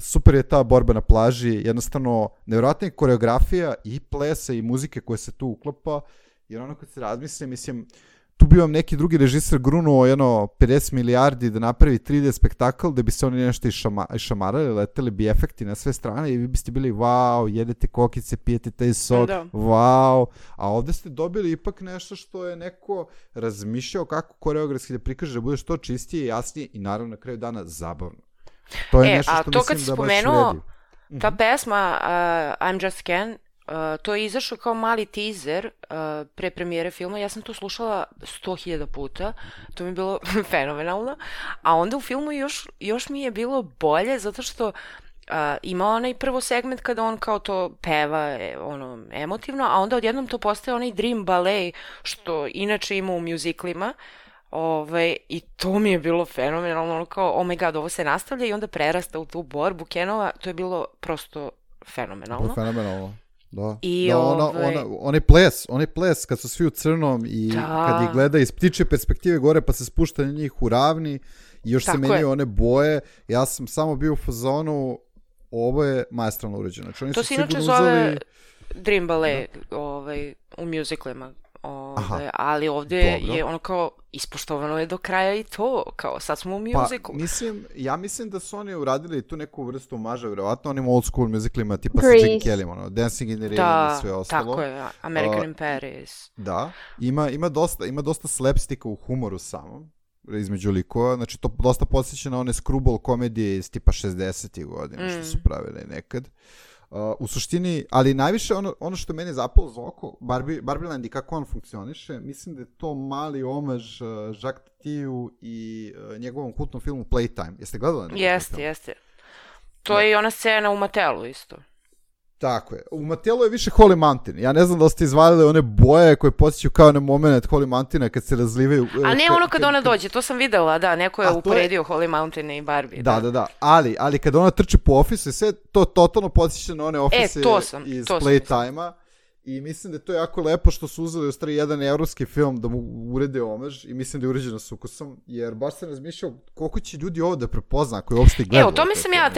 Super je ta borba na plaži. Jednostavno, nevjerojatna je koreografija i plesa i muzike koje se tu uklapa. Jer ono kad se razmisle, mislim, tu bi vam neki drugi režiser grunuo 50 milijardi da napravi 3D spektakl da bi se oni nešto išamarali, leteli bi efekti na sve strane i vi biste bili wow, jedete kokice, pijete taj sok, wow, a ovde ste dobili ipak nešto što je neko razmišljao kako koreografski da prikaže da bude što čistije, jasnije i naravno na kraju dana zabavno. To je nešto što mislim da baš vredi. Ta pesma I'm Just Ken, to je izašao kao mali teaser pre premijere filma, ja sam to slušala 100.000 puta, to mi je bilo fenomenalno, a onda u filmu još mi je bilo bolje zato što ima onaj prvo segment kada on kao to peva emotivno, a onda odjednom to postaje onaj dream ballet što inače ima u muziklima. I to mi je bilo fenomenalno, kao oh my god, ovo se nastavlja i onda prerasta u tu borbu Kenova, to je bilo prosto fenomenalno. Fenomenalno. Da. I onaj ples kad su svi u crnom i kad ih gleda iz ptičje perspektive gore pa se spušta na njih u ravni i još se menjaju one boje, ja sam samo bio u fazonu, ovo je maestralno urađeno. To se inače zove Dream Ballet u muziklima. Ali ovde dobro. je ono kao, ispoštovano je do kraja i to, kao sad smo u muziku. Ja mislim da su oni uradili tu neku vrstu omaža, vjerovatno onim old school musicalima tipa sa Grease. Gene Kelly, ono, Dancing in the Rain i sve ostalo. Tako je, American in Paris. Da, ima dosta slapsticka u humoru samom, između likova, znači to dosta podsjeća na one screwball komedije iz tipa 60-ih godina, što su pravili nekad. U suštini, ali najviše ono što meni zapalo za oko, Barbieland i kako on funkcioniše, mislim da je to mali omaž Jacques Tati-u i njegovom kultnom filmu Playtime. Jeste gledali? Jeste. To je i ona scena u Matelu isto. Tako je. U Matelu je više Holy Mountain. Ja ne znam da ste izvalili one boje koje podsjećaju kao na moment Holy Mountaina kad se razlivaju. A ne ono kad ona dođe, to sam videla, da, neko je uporedio Holy Mountain i Barbie. Da. Ali kad ona trči po ofisu i sve, to totalno podsjeća na one ofise iz Playtime-a. I mislim da je to jako lepo što su uzeli u stvari jedan evropski film da mu urede omaž i mislim da je urađeno s ukusom, jer baš sam razmišljao koliko će ljudi ovo da prepozna koji uopšte gledaju. O tome sam ja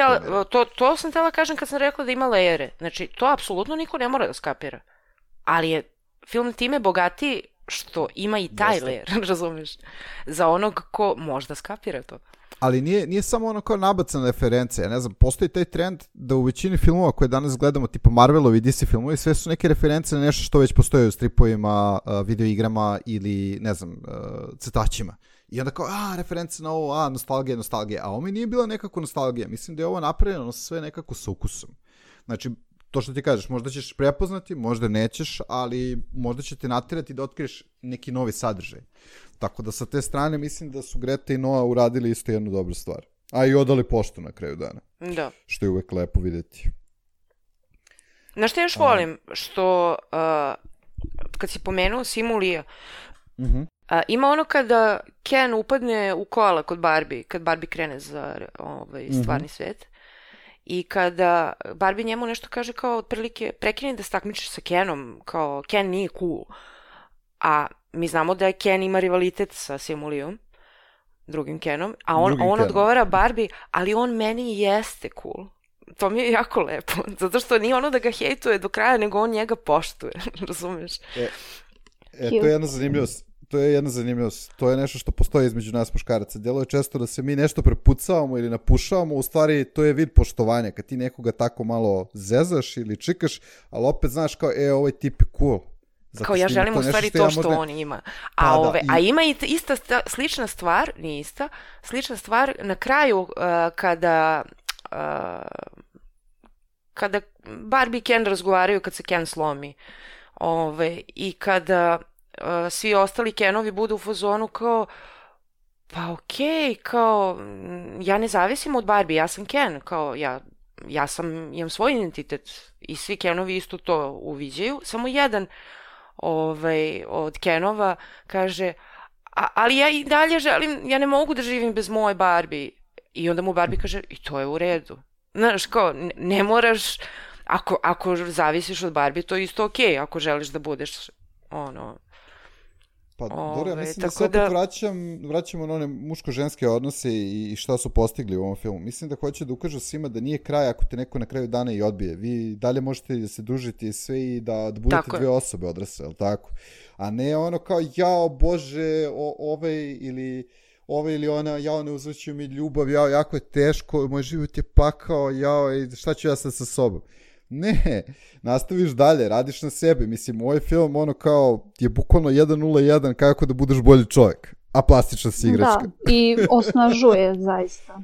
to sam htjela kažem kad sam rekla da ima lejere. Znači, to apsolutno niko ne mora da skapira. Ali je film time bogatiji što ima i taj lejer, razumeš? Za onog ko možda skapira to. Ali nije samo ono kao nabacana reference, ja ne znam, postoji taj trend da u većini filmova koje danas gledamo, tipa Marvelovi i DC filmovi, sve su neke reference na nešto što već postoje u stripovima, videoigrama ili, ne znam, crtačima. I onda kao, reference na ovo, nostalgija. A ovo mi nije bila nekako nostalgija. Mislim da je ovo napravljeno sve nekako sa ukusom. Znači, to što ti kažeš, možda ćeš prepoznati, možda nećeš, ali možda će te natirati da otkriješ neki novi sadržaj. Tako da sa te strane mislim da su Greta i Noah uradili isto jednu dobru stvar. A i odali poštu na kraju dana. Da. Što je uvek lepo vidjeti. Znaš što još volim? Što kad si pomenuo Simulija, ima ono kada Ken upadne u kola kod Barbie, kad Barbie krene za stvarni svet. I kada Barbie njemu nešto kaže kao otprilike prekini da se takmičiš sa Kenom, kao Ken nije cool. A mi znamo da je Ken ima rivalitet sa Simulijom, drugim Kenom, a on odgovara Barbie, ali on meni jeste cool. To mi je jako lepo, zato što nije ono da ga hejtuje do kraja, nego on njega poštuje, razumeš? To je jedna zanimljivost. To je nešto što postoji između nas muškaraca. Delo je često da se mi nešto prepucavamo ili napušavamo, u stvari to je vid poštovanja. Kad ti nekoga tako malo zezaš ili čikaš, ali opet znaš kao, ovaj tip je cool. Zato kao ja želim u stvari to što on ima. A ima i ista slična stvar, nije ista, slična stvar na kraju kada Barbie i Ken razgovaraju kad se Ken slomi. I kada svi ostali Kenovi budu u fazonu kao pa okej, kao ja ne zavisim od Barbie, ja sam Ken, kao imam svoj identitet i svi Kenovi isto to uviđaju, samo jedan od Kenova kaže ali ja i dalje želim, ja ne mogu da živim bez moje Barbie. I onda mu Barbie kaže i to je u redu. Znaš, kao, ne moraš, ako zavisiš od Barbie, to je isto okej, ako želiš da budeš Pa dobro, ja mislim da se opet vraćamo na one muško-ženske odnose i šta su postigli u ovom filmu. Mislim da hoće da ukažu svima da nije kraj ako te neko na kraju dana i odbije. Vi dalje možete da se družite sve i da budete dve osobe odrasle, ali tako? A ne ono kao, jao Bože, ove ili ona, jao ne uzvrćuju mi ljubav, jao jako je teško, moj život je pakao, jao šta ću ja sad sa sobom? Ne, nastaviš dalje, radiš na sebi. Mislim, ovaj film kao je bukvalno 101 kako da budeš bolji čovjek, a plastična si igračka. Da, i osnažuje zaista.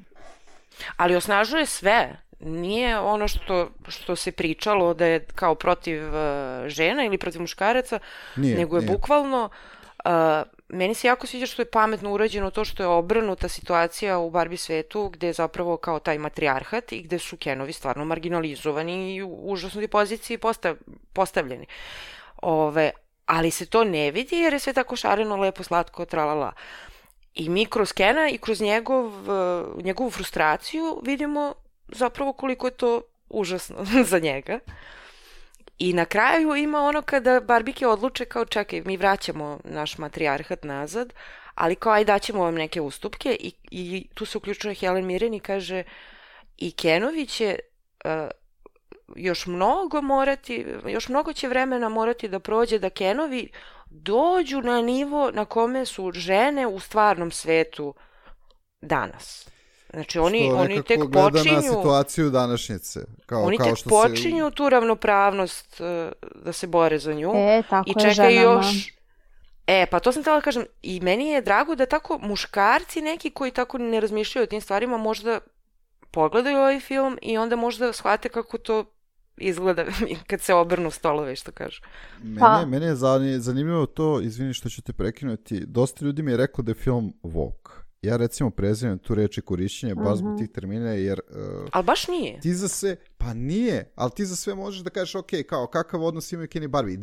Ali osnažuje sve. Nije ono što se pričalo da je kao protiv žena ili protiv muškaraca, nego je bukvalno... Meni se jako sviđa što je pametno urađeno to što je obrnuta situacija u Barbie svetu gde je zapravo kao taj matrijarhat i gde su Kenovi stvarno marginalizovani i u užasnoj poziciji postavljeni. Ali se to ne vidi jer je sve tako šareno, lepo, slatko, tralala. I mi kroz Kena i kroz njegovu frustraciju vidimo zapravo koliko je to užasno za njega. I na kraju ima ono kada Barbike odluče kao čekaj, mi vraćamo naš matrijarhat nazad, ali kao aj daćemo vam neke ustupke i tu se uključuje Helen Mirren i kaže i Kenovi će još mnogo će vremena morati da prođe da Kenovi dođu na nivo na kome su žene u stvarnom svetu danas. Znači, oni tek gleda počinju... na situaciju današnjice. Oni tek što počinju tu ravnopravnost da se bore za nju. Tako I je čekaju ženama. još... pa to sam htjela da kažem. I meni je drago da tako muškarci neki koji tako ne razmišljaju o tim stvarima možda pogledaju ovaj film i onda možda shvate kako to izgleda kad se obrnu stolove, što kažu. Mene je zanimljivo to, izvini što ću te prekinuti, dosta ljudi mi je rekao da je film woke. Ja recimo prezimam tu reč i korišćenje baš zbog tih termina, jer... ali baš nije. Ti za sve, pa nije, ali ti za sve možeš da kažeš, ok, kao kakav odnos imaju Ken i Barbie.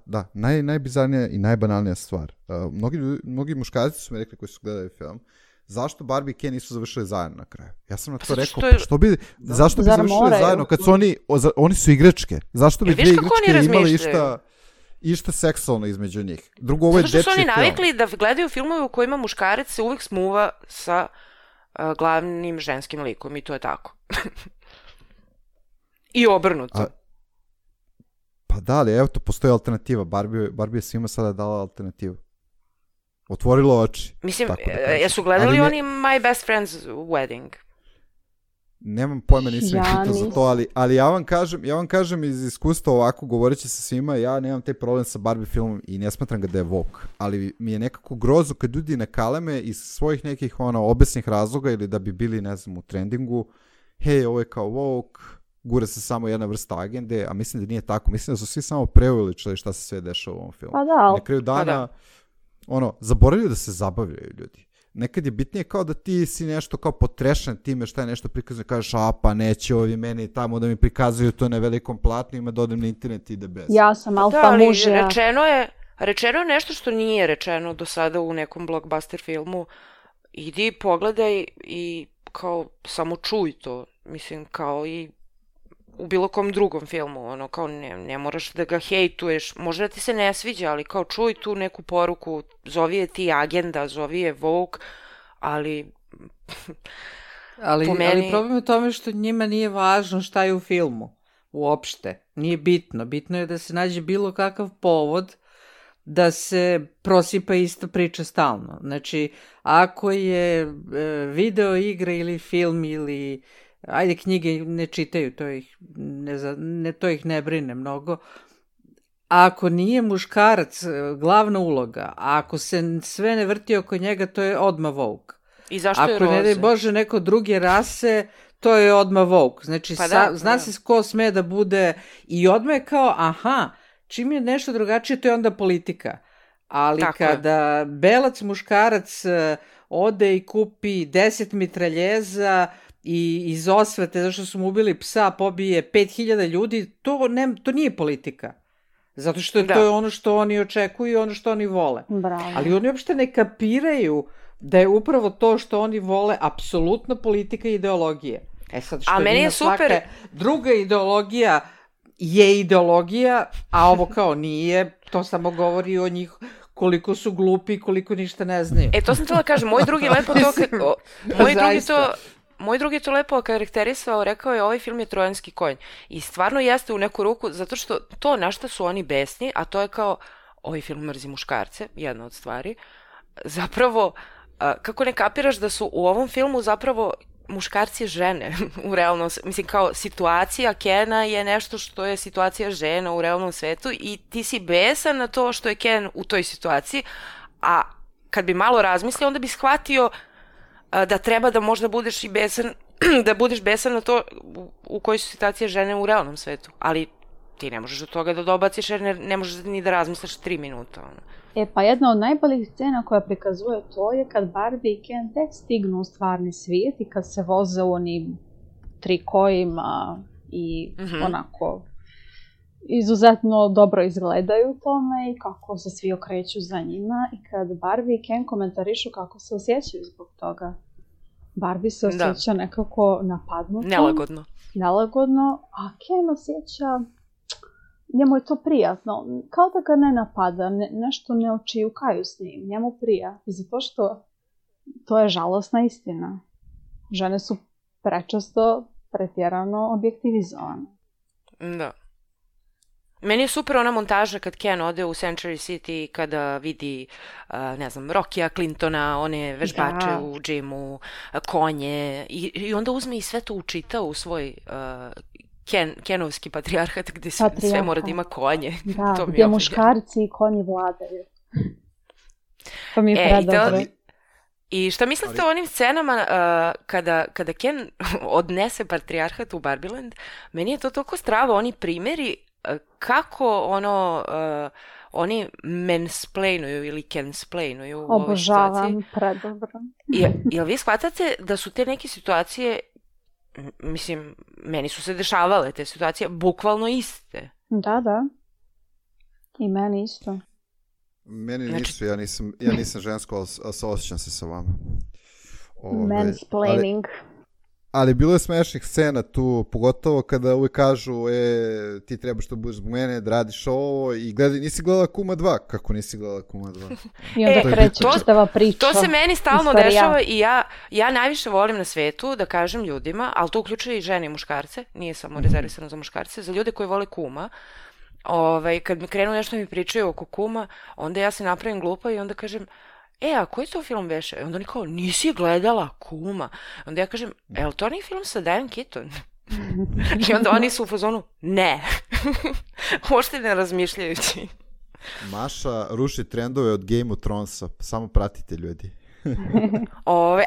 Da, najbizarnija i najbanalnija stvar. Mnogi muškarci su mi rekli koji su gledali film, zašto Barbie i Ken nisu završili zajedno na kraju? Ja sam na to rekao, zašto bi završili zajedno kad su oni su igračke? Zašto bi dvije igračke imali išta seksualno između njih? Drugo, ovo je dečji film. Zato što su oni navikli da gledaju filmove u kojima muškarac se uvijek smuva sa glavnim ženskim likom i to je tako. I obrnuto. Pa da, ali evo to, postoji alternativa. Barbie je svima sada dala alternativu. Otvorilo oči. Mislim, jesu gledali oni My Best Friend's Wedding? Nemam pojma, nisam ih pitao za to, ali ja vam kažem iz iskustva ovako, govoreći sa svima, ja nemam taj problem sa Barbie filmom i ne smatram ga da je woke, ali mi je nekako grozno kad ljudi nakaleme iz svojih nekih obesnih razloga ili da bi bili, ne znam, u trendingu, hej, ovo je kao woke, gura se samo jedna vrsta agende, a mislim da nije tako, mislim da su svi samo preuveličili šta se sve dešava u ovom filmu. Pa da. Na kraju dana, zaboravljaju da se zabavljaju ljudi. Nekad je bitnije kao da ti si nešto kao potrešan time šta je nešto prikazano, kažeš, pa neće ovi meni tamo da mi prikazuju to na velikom platnu, ima da odem na internet i ide bez. Ja sam alfa mužija. Rečeno je nešto što nije rečeno do sada u nekom blockbuster filmu. Idi, pogledaj i kao samo čuj to. Mislim, kao i u bilo kom drugom filmu, kao ne moraš da ga hejtuješ, možda da ti se ne sviđa, ali kao čuj tu neku poruku, zovi je ti agenda, zovi je woke, ali po meni... Ali problem je u tome što njima nije važno šta je u filmu, uopšte, nije bitno. Bitno je da se nađe bilo kakav povod da se prosipa ista priča stalno. Znači, ako je video igra ili film ili... Ajde, knjige ne čitaju, to ih ne brine mnogo. Ako nije muškarac glavna uloga, a ako se sve ne vrti oko njega, to je odmah woke. I zašto je roze? Ako ne daj Bože neko druge rase, to je odmah woke. Znači, zna se ko sme da bude i odmah je kao, čim je nešto drugačije, to je onda politika. Ali tako kada belac muškarac ode i kupi 10 mitraljeza i iz osvete, zašto su mu ubili psa, pobije 5000 ljudi, to nije politika. Zato što to je ono što oni očekuju i ono što oni vole. Bravo. Ali oni uopšte ne kapiraju da je upravo to što oni vole apsolutno politika i ideologije. Sad što ima svaka druga ideologija je ideologija, a ovo kao nije, to samo govori o njih koliko su glupi i koliko ništa ne znaju. To sam htjela kažem, moj drugi je to lepo okarakterisao, rekao je ovaj film je trojanski konj. I stvarno jeste u neku ruku, zato što to na šta su oni besni, a to je kao, ovaj film mrzi muškarce, jedna od stvari. Zapravo, kako ne kapiraš da su u ovom filmu zapravo muškarci žene u realnom, mislim kao situacija Kena je nešto što je situacija žena u realnom svetu i ti si besan na to što je Ken u toj situaciji, a kad bi malo razmislio onda bi shvatio da treba da možda budeš i besan, da budeš besan na to u kojoj su situacije žene u realnom svetu, ali ti ne možeš do toga da dobaciš jer ne možeš ni da razmisliš 3 minuta. Pa jedna od najboljih scena koja prikazuje to je kad Barbie i Ken tek stignu u stvarni svijet i kad se voze u onim trikojima i onako izuzetno dobro izgledaju u tome i kako se svi okreću za njima i kad Barbie i Ken komentarišu kako se osjećaju zbog toga. Barbie se osjeća nekako napadnuto. Nelagodno, a Ken osjeća, njemu je to prijatno, kao da ga ne napada, nešto ne očijukaju s njim, njemu prija. I zato što to je žalosna istina. Žene su prečesto pretjerano objektivizovane. Da. Meni je super ona montaža kad Ken ode u Century City kada vidi, ne znam, Rockya Clintona, one vežbače u džimu, konje i onda uzme i sve to učita u svoj Kenovski patrijarhat gde sve mora da ima konje. Da, to gdje muškarci i konji vladaju. To mi je predobro. I šta mislite o onim scenama kada Ken odnese patrijarhat u Barbieland? Meni je to toliko strava, oni primjeri kako oni mansplainuju ili cansplainuju u ovoj situaciji. Obožavam, predobro. Jel vi shvatate da su te neke situacije, mislim, meni su se dešavale te situacije, bukvalno iste? Da. I meni isto. Meni nisu, ja nisam žensko, ali osjećam se sa vama. Mansplaining. Ali bilo je smešnih scena tu, pogotovo kada uvijek kažu ti trebaš da budeš zbog mene, da radiš ovo i nisi gledala Kuma 2. Kako nisi gledala Kuma 2? I onda kreće čitava priča. To se meni stalno dešava i ja najviše volim na svetu da kažem ljudima, ali to uključuje i žene i muškarce, nije samo rezervisano za muškarce, za ljude koji vole Kuma. Kad mi krenu nešto mi pričaju oko Kuma, onda ja se napravim glupa i onda kažem, a koji to film beše? I onda oni kao, nisi gledala Kuma. Onda ja kažem, li to nije film sa Diane Keaton? I onda oni su u fazonu, ne. Možete ne razmišljajući. Maša ruši trendove od Game of Thronesa, samo pratite ljudi.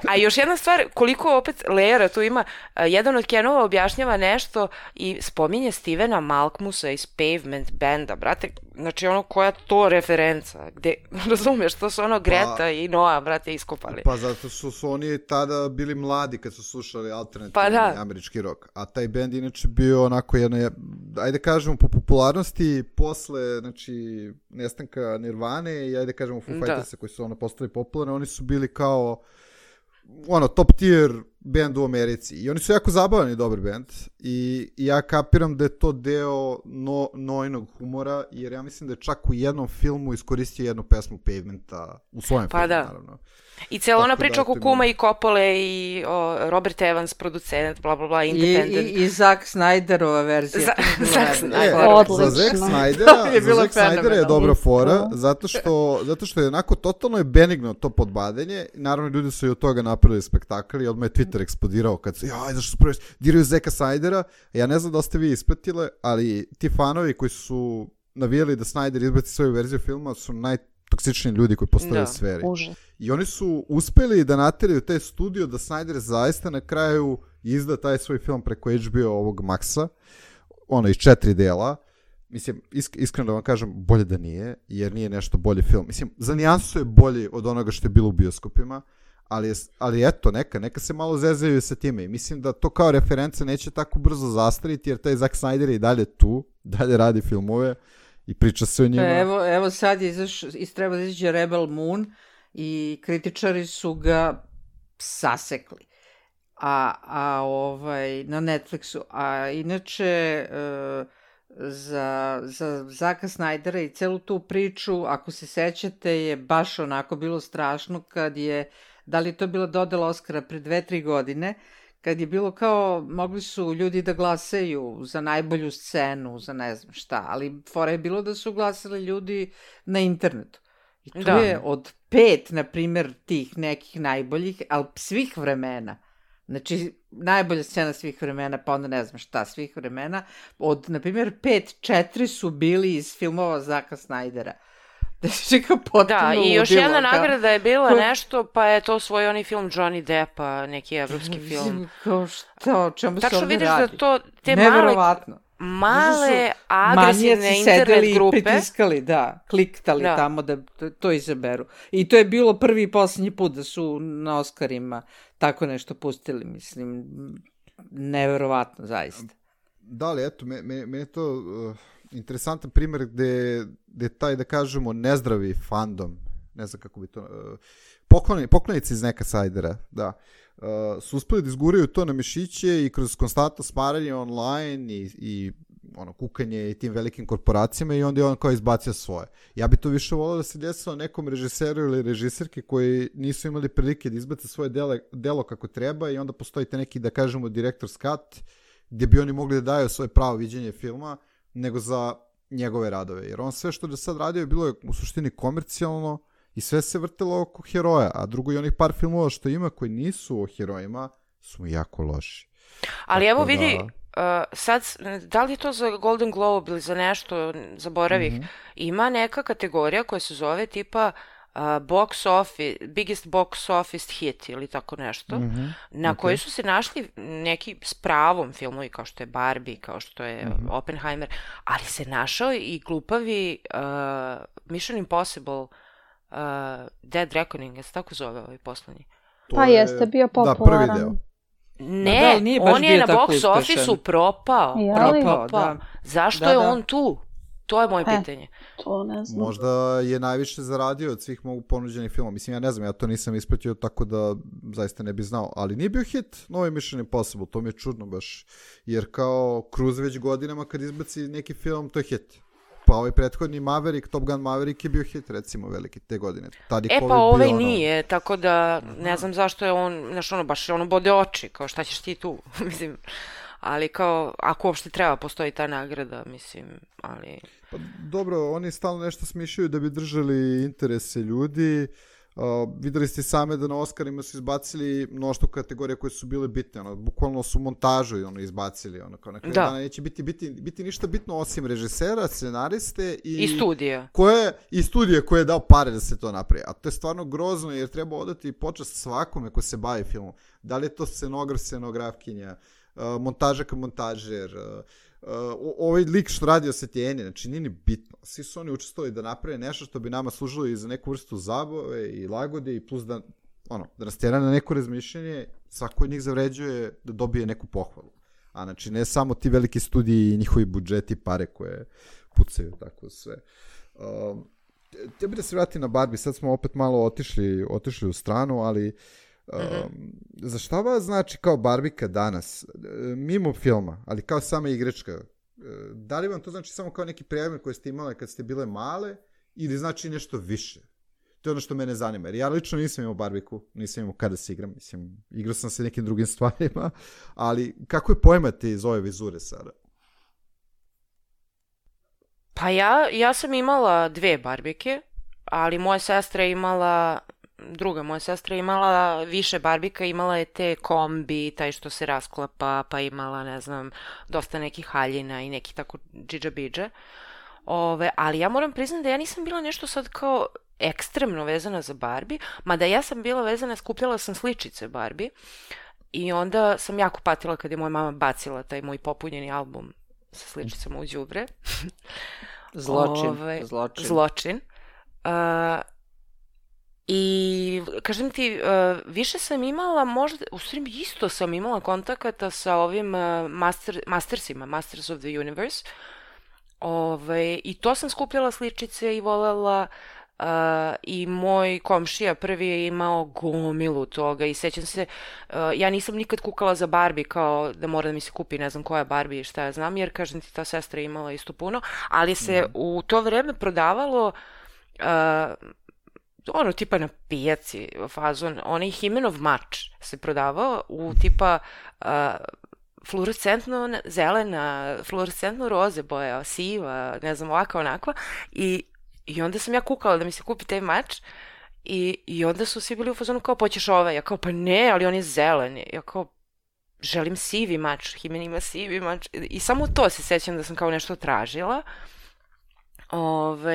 A još jedna stvar, koliko opet lejera tu ima, jedan od Kenova objašnjava nešto i spominje Stevena Malkmusa iz Pavement benda, brate, znači koja to referenca, gde, razumeš, to su Greta i Noah, brate, iskopali. Pa zato su oni tada bili mladi kad su slušali alternativni američki rock, a taj bend inače bio onako jedna, ajde kažemo po popularnosti, posle, znači, nestanka Nirvane i ajde kažemo Foo Fightersa koji su postali popularni, oni su bili kao top tier band u Americi i oni su jako zabavni dobar band i ja kapiram da je to deo Noinog humora, jer ja mislim da je čak u jednom filmu iskoristio jednu pesmu Pavementa u svojem filmu, naravno. I cijela ona priča oko Kuma i Coppole i Robert Evans, producent, bla bla bla, independent. I Zack Snyderova verzija. Za Zack Snydera je dobra fora, zato što je onako totalno je benigno to podbadanje. Naravno, ljudi su i od toga napravili spektakl i odmah je Twitter eksplodirao kad su, zašto su prvi diraju Zacka Snydera. Ja ne znam da ste vi ispratile, ali ti fanovi koji su navijali da Snyder izbaci svoju verziju filma su najtoksičniji ljudi koji postoje u sferi. I oni su uspeli da nateraju taj studio da Snyder zaista na kraju izda taj svoj film preko HBO ovog Maxa, iz 4 dela. Mislim, iskreno da vam kažem, bolje da nije, jer nije nešto bolji film. Mislim, za nijansu je bolji od onoga što je bilo u bioskopima, ali eto, neka se malo zezaju sa time. I mislim da to kao referenca neće tako brzo zastariti, jer taj Zack Snyder je i dalje tu, dalje radi filmove i priča se o njima. Evo sad treba da izađe Rebel Moon i kritičari su ga sasekli na Netflixu. A inače za Zacka Snydera i celu tu priču, ako se sećate, je baš onako bilo strašno kad je, da li to bila dodela Oscara pre 2-3 godine, kad je bilo kao, mogli su ljudi da glasaju za najbolju scenu, za ne znam šta, ali fora je bilo da su glasali ljudi na internetu. I tu je od 5, na primjer, tih nekih najboljih, ali svih vremena, znači najbolja scena svih vremena, pa onda ne znam šta svih vremena, od, na primjer, 5-4 su bili iz filmova Zacka Snydera. Da, i još jedna nagrada je bila nešto, pa je to svoj onaj film Johnny Deppa, neki evropski film. Kao šta, o čemu se ovdje radi? Tačno vidiš da to, te male agresivne internet grupe. I pritiskali, kliktali tamo da to izaberu. I to je bilo prvi i posljednji put da su na Oscarima tako nešto pustili, mislim, neverovatno, zaista. Da, ali eto, meni je to interesantan primjer gde taj, da kažemo, nezdravi fandom, ne znam kako bi to, poklonici iz neka Snydera, da, su uspeli da izguraju to na mišiće i kroz konstantno smaranje online i kukanje i tim velikim korporacijama i onda je on kao izbacio svoje. Ja bi to više volio da se desilo nekom režiseru ili režiserki koji nisu imali prilike da izbace svoje delo kako treba i onda postoji te neki, da kažemo, director's cut, gdje bi oni mogli da daju svoje pravo viđenje filma, nego za njegove radove. Jer on sve što je sad radio bilo je u suštini komercijalno i sve se vrtelo oko heroja. A drugo i onih par filmova što ima koji nisu o herojima su jako loši. Ali evo vidi, sad, da li je to za Golden Globe ili za nešto, zaboravih, ima neka kategorija koja se zove tipa biggest box office hit ili tako nešto, na kojoj su se našli neki s pravom filmovi kao što je Barbie, kao što je Oppenheimer, ali se našao i glupavi Mission Impossible Dead Reckoning, je se tako zove ovaj poslednji? Pa jeste, bio popularan. Da, prvi deo. Ne, on je na box office-u propao. Da. Zašto je on tu? To je moje pitanje. To ne znam. Možda je najviše zaradio od svih mogu ponuđenih filmova. Mislim, ja ne znam, ja to nisam ispratio, tako da zaista ne bi znao. Ali nije bio hit novi Mission Impossible, to mi je čudno baš. Jer kao Cruise već godinama kad izbaci neki film, to je hit. Pa ovaj prethodni Maverick, Top Gun Maverick je bio hit, recimo, veliki te godine. Pa ovaj nije, tako da ne znam zašto je on, znaš, ono, baš ono bode oči, kao šta ćeš ti tu, mislim, ali kao, ako uopšte treba, postoji ta nagrada, mislim, ali... Pa dobro, oni stalno nešto smišljaju da bi držali interese ljudi. Videli ste same da na Oscarima su izbacili mnoštvo kategorija koje su bile bitne, ono, bukvalno su montažu izbacili, ono, kao na kraju dana neće biti ništa bitno osim režisera, scenariste i studija. I studije koje je dao pare da se to napravi. A to je stvarno grozno jer treba odati počast svakome ko se bavi filmom. Da li je to scenograf, scenografkinja, montažak, montažer, ovaj lik što radi osvetljenje, znači nije ni bitno. Svi su oni učestvovali da naprave nešto što bi nama služilo i za neku vrstu zabave i lagode i plus da nas tjera na neko razmišljanje, svako od njih zavređuje da dobije neku pohvalu. A znači ne samo ti veliki studiji i njihovi budžeti, pare koje pucaju, tako sve. Tebi da se vrati na Barbie, sad smo opet malo otišli u stranu, ali za šta vas znači kao Barbika danas, mimo filma, ali kao sama igračka? Da li vam to znači samo kao neki predmet koji ste imali kad ste bile male ili znači nešto više? To je ono što mene zanima, jer ja lično nisam imao Barbiku, nisam imao kada se igram, mislim, igrao sam se nekim drugim stvarima, ali kako je pojmate iz ove vizure sada? Pa ja sam imala 2 Barbike, ali moja sestra je imala više Barbika, imala je te kombi, taj što se rasklapa, pa imala, ne znam, dosta nekih haljina i neki tako džidža-bidže. Ali ja moram priznati da ja nisam bila nešto sad kao ekstremno vezana za Barbie, mada ja sam bila vezana, skupljala sam sličice Barbie i onda sam jako patila kad je moja mama bacila taj moj popunjeni album sa sličicama u đubre. Zločin. I kažem ti, više sam imala, možda, u stvari isto sam imala kontakata sa ovim Mastersima, Masters of the Universe. I to sam skupljala sličice i volela, i moj komšija prvi je imao gomilu toga i sećam se, ja nisam nikad kukala za Barbie kao da mora da mi se kupi ne znam koja Barbie i šta ja znam, jer kažem ti ta sestra je imala isto puno, ali se u to vreme prodavalo tipa na pijaci fazon, onaj Himenov mač se prodavao u tipa fluorescentno zelena, fluorescentno roze boja, siva, ne znam, ovakva, onakva, i onda sam ja kukala da mi se kupi taj mač i onda su svi bili u fazonu kao, poćeš ovaj? Ja kao, pa ne, ali on je zelen. Ja kao, želim sivi mač, Himen ima sivi mač. I samo to se sećam da sam kao nešto tražila.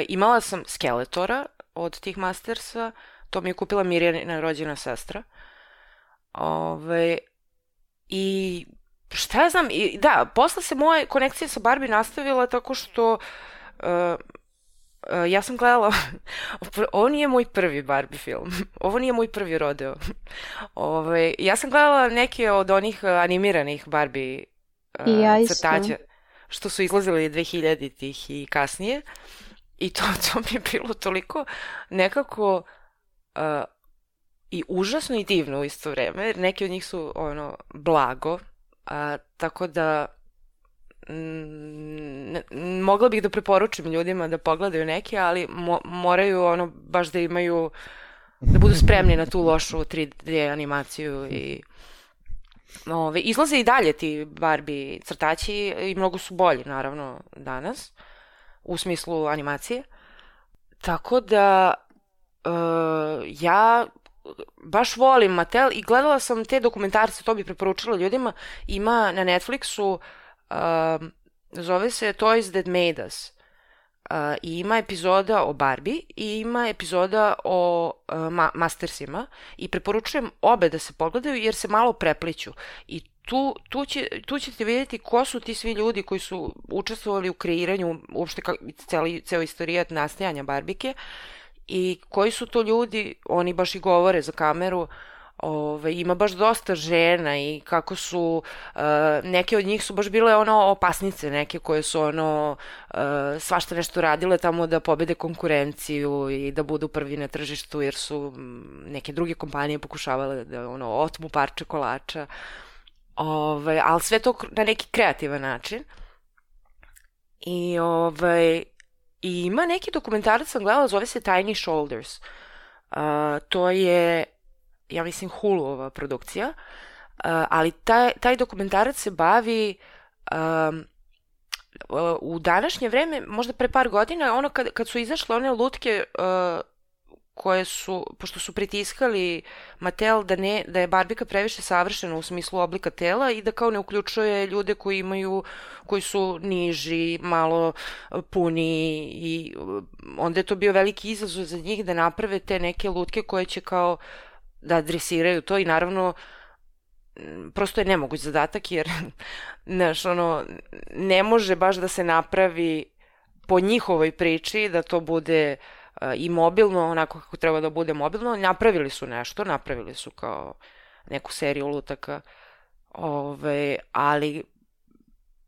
Imala sam Skeletora od tih Mastersa, to mi je kupila Mirjana rođena sestra. I šta ja znam, posle se moja konekcija sa Barbie nastavila tako što ja sam gledala, ovo nije moj prvi Barbie film, ovo nije moj prvi rodeo. Ja sam gledala neke od onih animiranih Barbie crtađa, što su izlazili 2000-ih i kasnije. I to mi je bilo toliko nekako i užasno i divno u isto vreme, jer neki od njih su blago, tako da mogla bih da preporučim ljudima da pogledaju neke, ali moraju baš da imaju, da budu spremni na tu lošu 3D animaciju i izlaze i dalje ti Barbie crtaći i mnogo su bolji naravno danas u smislu animacije. Tako da ja baš volim Mattel i gledala sam te dokumentarce, to bih preporučila ljudima. Ima na Netflixu, zove se Toys That Made Us. I ima epizoda o Barbie i ima epizoda o Mastersima i preporučujem obe da se pogledaju jer se malo prepliću i tu ćete vidjeti ko su ti svi ljudi koji su učestvovali u kreiranju uopšte ceo istorijat nastajanja Barbike i koji su to ljudi, oni baš i govore za kameru. Ima baš dosta žena i kako su, neke od njih su baš bile opasnice, neke koje su svašta nešto radile tamo da pobede konkurenciju i da budu prvi na tržištu jer su neke druge kompanije pokušavale da otmu parče kolača, ali sve to na neki kreativan način. I ima neki dokumentarac sam gledala, zove se Tiny Shoulders. To je, ja mislim, Huluova produkcija, ali taj dokumentarac se bavi u današnje vreme, možda pre par godina, kad su izašle one lutke koje su, pošto su pritiskali Mattel da je Barbika previše savršena u smislu oblika tela i da kao ne uključuje ljude koji su niži, malo puni i onda je to bio veliki izazov za njih da naprave te neke lutke koje će kao da adresiraju to i naravno prosto je nemoguć zadatak jer ne može baš da se napravi po njihovoj priči da to bude i mobilno, onako kako treba da bude mobilno. Napravili su nešto, napravili su kao neku seriju lutaka, ali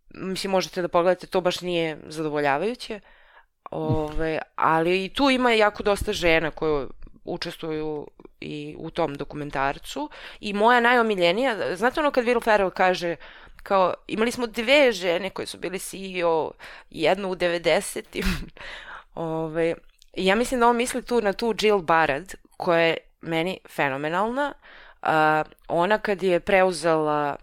mislim možete da pogledate, to baš nije zadovoljavajuće, ali i tu ima jako dosta žena koje učestvuju i u tom dokumentarcu i moja najomiljenija, znate kad Will Ferrell kaže kao imali smo 2 žene koje su bili CEO, jednu u 90-im, ja mislim da on misli tu na tu Jill Barad koja je meni fenomenalna. Ona kad je preuzela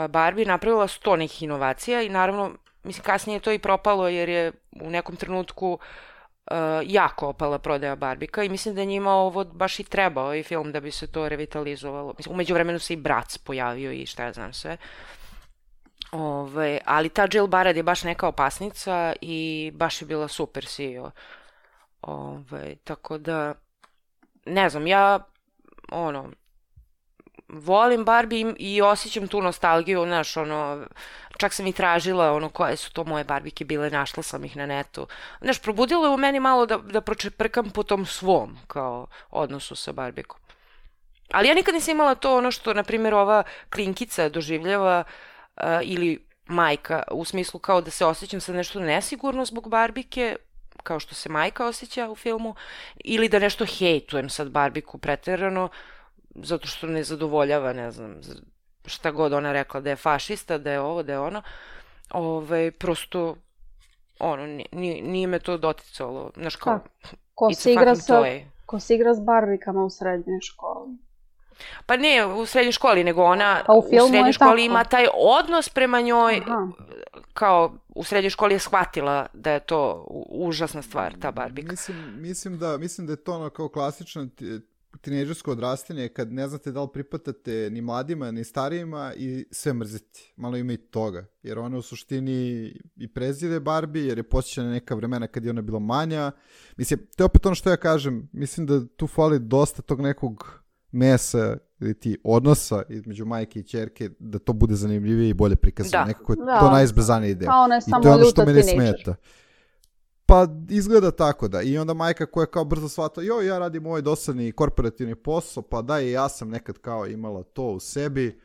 Barbie napravila 100 nekih inovacija i naravno mislim kasnije je to i propalo jer je u nekom trenutku jako opala prodaja Barbika i mislim da je njima ovo baš i trebao i film da bi se to revitalizovalo. Mislim, umeđu vremenu se i Bratz pojavio i šta ja znam sve. Ali ta Jill Barad je baš neka opasnica i baš je bila super CEO. Tako da ne znam, ja volim Barbie i osjećam tu nostalgiju, znaš, čak sam i tražila koje su to moje Barbike bile, našla sam ih na netu. Znaš, probudilo je u meni malo da pročeprkam po tom svom kao odnosu sa Barbikom. Ali ja nikad nisam imala to što, na primjer, ova klinkica doživljava ili majka, u smislu kao da se osjećam sad nešto nesigurno zbog Barbike, kao što se majka osjeća u filmu, ili da nešto hejtujem sad Barbiku preterano, zato što ne zadovoljava, ne znam, šta god ona rekla, da je fašista, da je ovo, da je ono. Prosto, nije me to doticalo. Znaš kao, ko se igra s Barbikama u srednjoj školi? Pa ne u srednjoj školi, nego ona u srednjoj školi ima taj odnos prema njoj, kao u srednjoj školi je shvatila da je to užasna stvar, ta Barbika. Mislim da je to kao klasično tinejdžersko odrastanje kad ne znate da li pripatate ni mladima ni starijima i sve mrziti. Malo ima i toga. Jer ona u suštini i prezire Barbie jer je posjeća na neka vremena kad je ona bila manja. Mislim, to je opet ono što ja kažem. Mislim da tu fali dosta tog nekog mesa ili ti odnosa između majke i ćerke da to bude zanimljivije i bolje prikazano. Nekako je to najizbezanija ideja. Ona je samo ljuta tinejdžer. Pa izgleda tako da. I onda majka koja kao brzo shvata, ja radim ovaj dosadni korporativni posao, pa ja sam nekad kao imala to u sebi.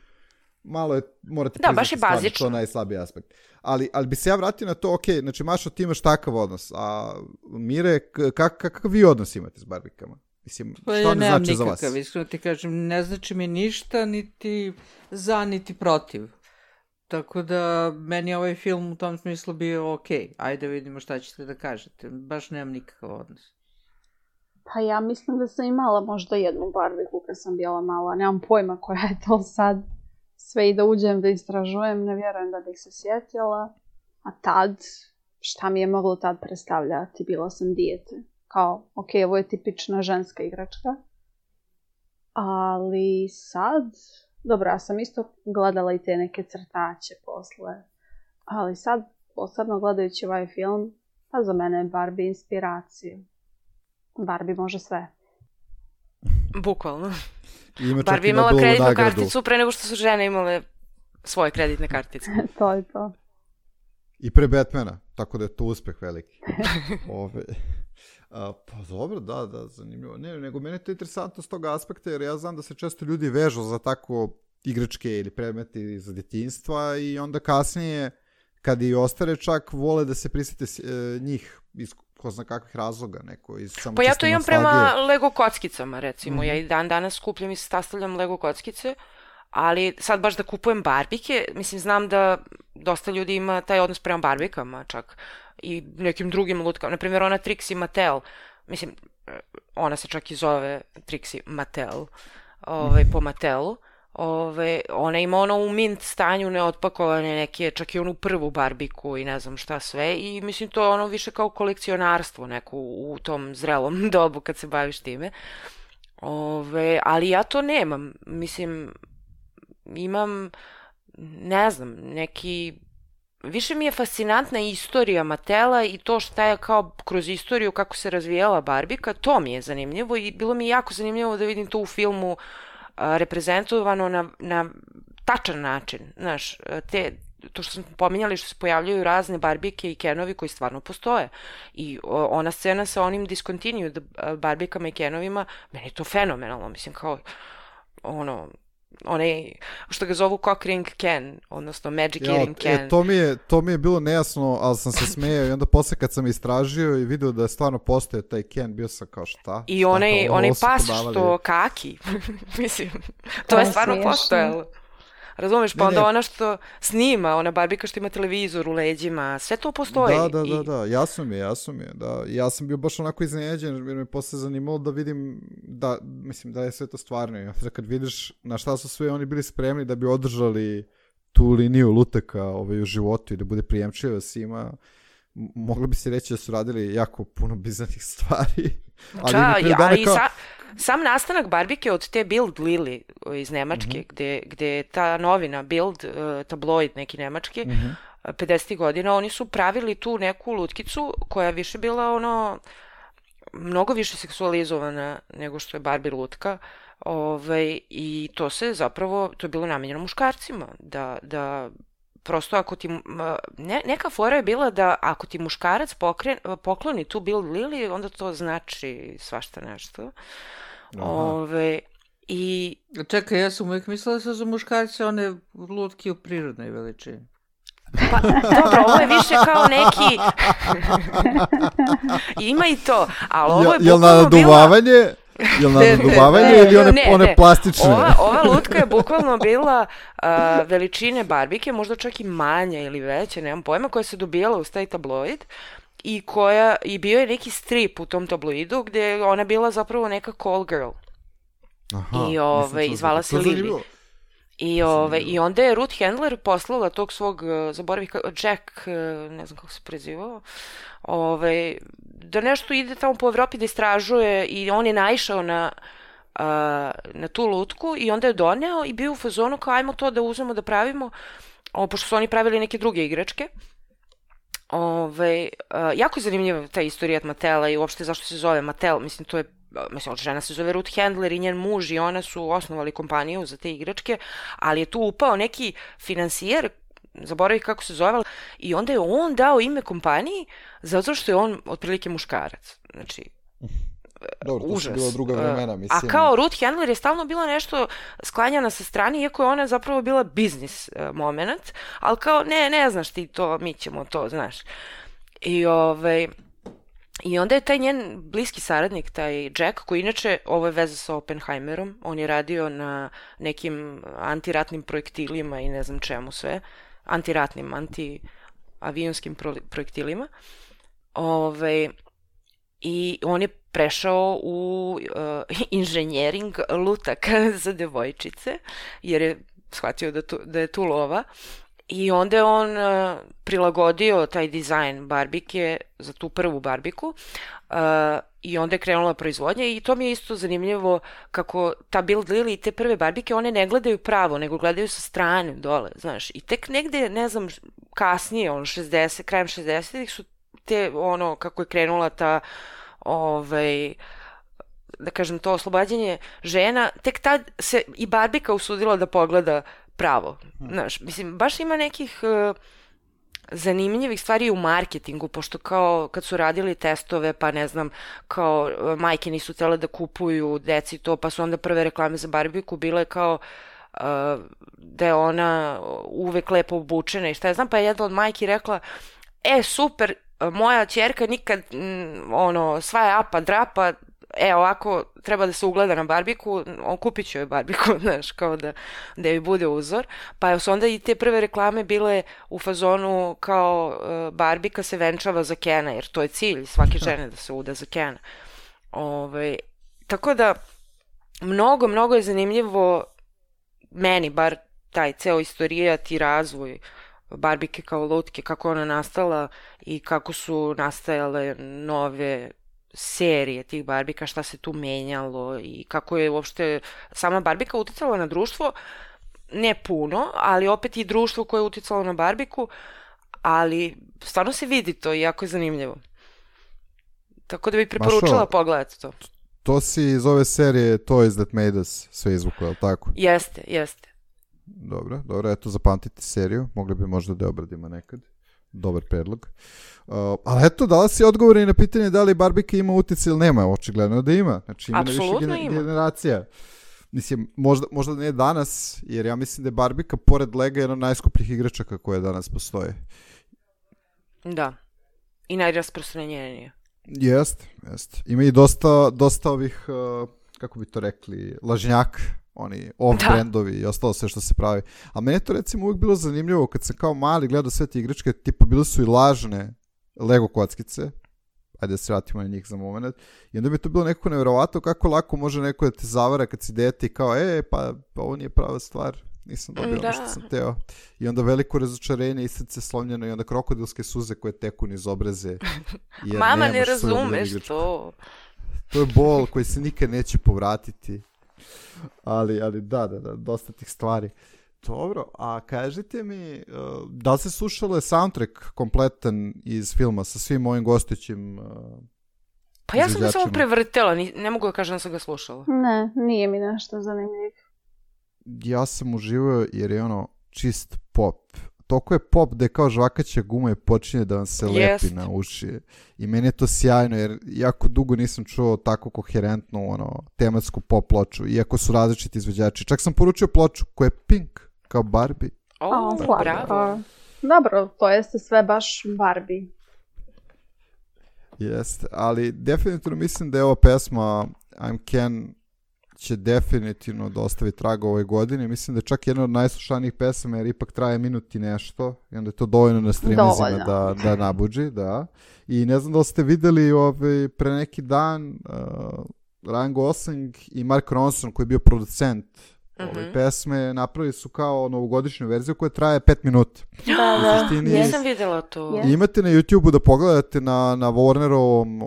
Malo je, morate priznati stvari, to je najslabiji aspekt. Ali bi se ja vratio na to, ok, znači Mašo, ti imaš takav odnos, a Mire, kakav vi odnos imate s Barbikama? Mislim, što ne znači za vas? Nemam iskreno ti kažem, ne znači mi ništa, niti za, niti protiv. Tako da, meni ovaj film u tom smislu bio ok. Ajde vidimo šta ćete da kažete. Baš nemam nikakav odnos. Pa ja mislim da sam imala možda jednu Barbiku kad sam bila mala. Nemam pojma koja je to sad. Sve i da uđem da istražujem, ne vjerujem da bih se sjetila. A tad, šta mi je moglo tad predstavljati, bila sam dijete. Kao, ok, ovo je tipična ženska igračka. Ali sad, dobro, ja sam isto gledala i te neke crtače posle. Ali sad, posebno gledajući ovaj film, pa za mene je Barbie inspiracija. Barbie može sve. Bukvalno. Ima Barbie imala kreditnu karticu pre nego što su žene imale svoje kreditne kartice. To je to. I pre Batmana, tako da je to uspeh veliki. Pa dobro, da, zanimljivo. Ne, nego mene je to interesantno s toga aspekta, jer ja znam da se često ljudi vežu za tako igračke ili predmeti za djetinjstva i onda kasnije, kad i ostare čak, vole da se prisjete njih iz ko zna kakvih razloga, neko iz samo pa ja to imam nostalgije. prema Lego kockicama, recimo. Ja i dan danas skupljam i sastavljam Lego kockice, ali sad baš da kupujem barbike, mislim, znam da dosta ljudi ima taj odnos prema barbikama čak i nekim drugim lutkama. Naprimjer, ona Trixie Mattel, mislim, ona se čak i zove Trixie Mattel, po Mattelu. Ona ima ono u mint stanju neotpakovane neke, čak i onu prvu barbiku i ne znam šta sve i mislim to je ono više kao kolekcionarstvo neko u tom zrelom dobu kad se baviš time. Ali ja to nemam, mislim, imam, ne znam, neki, više mi je fascinantna istorija Mattela i to šta je kao kroz istoriju kako se razvijala barbika, to mi je zanimljivo i bilo mi jako zanimljivo da vidim to u filmu reprezentovano na tačan način, znaš, to što smo pominjali što se pojavljaju razne barbike i Kenovi koji stvarno postoje i ona scena sa onim discontinued barbikama i Kenovima, meni je to fenomenalno, mislim kao onaj, što ga zovu Cock Ring Ken, odnosno Magic Earring Ken. To mi je bilo nejasno, ali sam se smejao i onda posle kad sam istražio i vidio da je stvarno postoje taj Ken, bio sam kao šta? I onaj pas što kaki, mislim, to je stvarno postojalo. Razumeš, pa onda ona što snima, ona barbika što ima televizor u leđima, sve to postoji. Da, jasno mi je, da. Ja sam bio baš onako iznenađen, jer me posle zanimalo da vidim, mislim da je sve to stvarno. Ja, kad vidiš na šta su sve oni bili spremni da bi održali tu liniju lutaka u životu i da bude prijemčiva svima, moglo bi se reći da su radili jako puno bizarnih stvari. Sam nastanak barbike od te Bild Lili iz Nemačke, gde je ta novina Bild, tabloid neki nemački, 50. godina, oni su pravili tu neku lutkicu koja je više bila mnogo više seksualizovana nego što je Barbie lutka. I to se zapravo, to je bilo namenjeno muškarcima, da prosto ako ti, neka fora je bila da ako ti muškarac pokloni tu Bild Lili, onda to znači svašta nešto. Čekaj, ja sam uvijek mislila da su za muškarce one lutke u prirodnoj veličini. Pa, dobro, ovo je više kao neki... Ima i to, ali ovo je bukvalno bila... Jel nadoduvavanje ili one plastične? Ova lutka je bukvalno bila veličine barbike, možda čak i manja ili veća, nemam pojma, koja se dobijala uz taj tabloid i bio je neki strip u tom tabloidu gdje je ona bila zapravo neka call girl. I zvala se Lily. I onda je Ruth Handler poslala tog svog, zaboravih, Jack, ne znam kako se prezivao, da nešto ide tamo po Evropi da istražuje i on je naišao na tu lutku i onda je doneo i bio u fazonu kao ajmo to da uzmemo da pravimo, pošto su oni pravili neke druge igračke. Jako je zanimljiva ta istorija Mattela i uopšte zašto se zove Mattel, mislim to je, žena se zove Ruth Handler i njen muž i ona su osnovali kompaniju za te igračke, ali je tu upao neki finansijer, zaboravih kako se zove, i onda je on dao ime kompaniji zato što je on otprilike muškarac. Znači, dobro, to su bila druga vremena, mislim. A kao Ruth Handler je stalno bila nešto sklanjana sa strane, iako je ona zapravo bila biznis moment, ali kao ne znaš ti to, mi ćemo to, znaš. I onda je taj njen bliski saradnik, taj Jack, koji inače, ovo je veza sa Oppenheimerom, on je radio na nekim antiratnim projektilima i ne znam čemu sve, antiratnim, antiavionskim projektilima. I on je prešao u inženjering lutaka za devojčice, jer je shvatio da je tu lova. I onda je on prilagodio taj dizajn barbike za tu prvu barbiku i onda je krenula proizvodnja i to mi je isto zanimljivo kako ta Build Lily i te prve barbike, one ne gledaju pravo, nego gledaju sa strane dole, znaš. I tek negde, ne znam, kasnije, krajem 60-ih su te, kako je krenula ta, da kažem, to oslobađanje žena, tek tad se i barbika usudila da pogleda pravo. Znaš, mislim, baš ima nekih zanimljivih stvari u marketingu, pošto kao kad su radili testove, pa ne znam, kao majke nisu htjele da kupuju deci to, pa su onda prve reklame za barbiku bile kao da je ona uvek lepo obučena i šta ja znam, pa je jedna od majki rekla, super, moja ćerka nikad sva je apa drapa, ovako treba da se ugleda na barbiku, kupit ću joj barbiku, znaš, kao da joj bude uzor. Pa su onda i te prve reklame bile u fazonu kao barbika se venčava za Kena, jer to je cilj svake žene da se uda za Kena. Tako da, mnogo je zanimljivo meni, bar taj ceo istorijat i razvoj barbike kao lutke, kako ona nastala i kako su nastajale nove serije tih barbika, šta se tu menjalo i kako je uopšte sama barbika uticala na društvo, ne puno, ali opet i društvo koje je uticalo na barbiku, ali stvarno se vidi to i jako je zanimljivo. Tako da bih preporučila pogledati to. To si iz ove serije Toys That Made Us sve izvuklo, je li tako? Jeste. Dobro, eto zapamtite seriju, mogli bi možda da je obradimo nekad. Dobar predlog. Ali eto, dala si odgovore i na pitanje da li barbika ima uticaj ili nema, očigledno da ima. Znači ima apsolutno više generacija. Mislim, možda ne danas, jer ja mislim da je barbika pored Lega jedna od najskupljih igračaka koje danas postoje. Da. I najrasprostranjenije. Jeste. Ima i dosta ovih, kako bi to rekli, lažnjaka, oni off-brandovi i ostalo sve što se pravi. A meni je to recimo uvijek bilo zanimljivo kad sam kao mali gledao sve te igračke, tipa bile su i lažne Lego kockice, ajde da se vratimo na njih za moment, i onda bi to bilo nekako nevjerovatno kako lako može neko da te zavara kad si dete i kao, pa ovo nije prava stvar, nisam dobio ono što sam teo. I onda veliko razočarenje i srce slomljeno i onda krokodilske suze koje teku niz obraze. Mama, ne razumeš to. To je bol koji se nikad neće povratiti. Ali da, dosta tih stvari. Dobro, a kažite mi, da li se slušalo soundtrack kompletan iz filma sa svim ovim gostujućim Pa ja sam ga samo prevrtela, ne mogu da kažem da sam ga slušala. Ne, nije mi nešto zanimljivo. Ja sam uživao jer je čist pop. Toliko je pop da je kao žvakaća guma i počinje da vam se lepi na uši. I meni je to sjajno jer jako dugo nisam čuo tako koherentnu tematsku pop ploču, iako su različiti izvođači. Čak sam poručio ploču koja je pink, kao Barbie. Bravo. Dobro, to jeste sve baš Barbie. Jeste, ali definitivno mislim da je ova pesma I'm Ken će definitivno da ostavi traga ove godine. Mislim da je čak jedna od najslušanijih pesama jer ipak traje minut i nešto i onda je to dovoljno na streamizima da nabuđi. Da. I ne znam da li ste videli pre neki dan Ryan Gosling i Mark Ronson koji je bio producent ove pesme, napravili su kao novogodišnju verziju koja traje 5 minuta. Da, nisam videla to. Imate na YouTube-u da pogledate na Warnerovom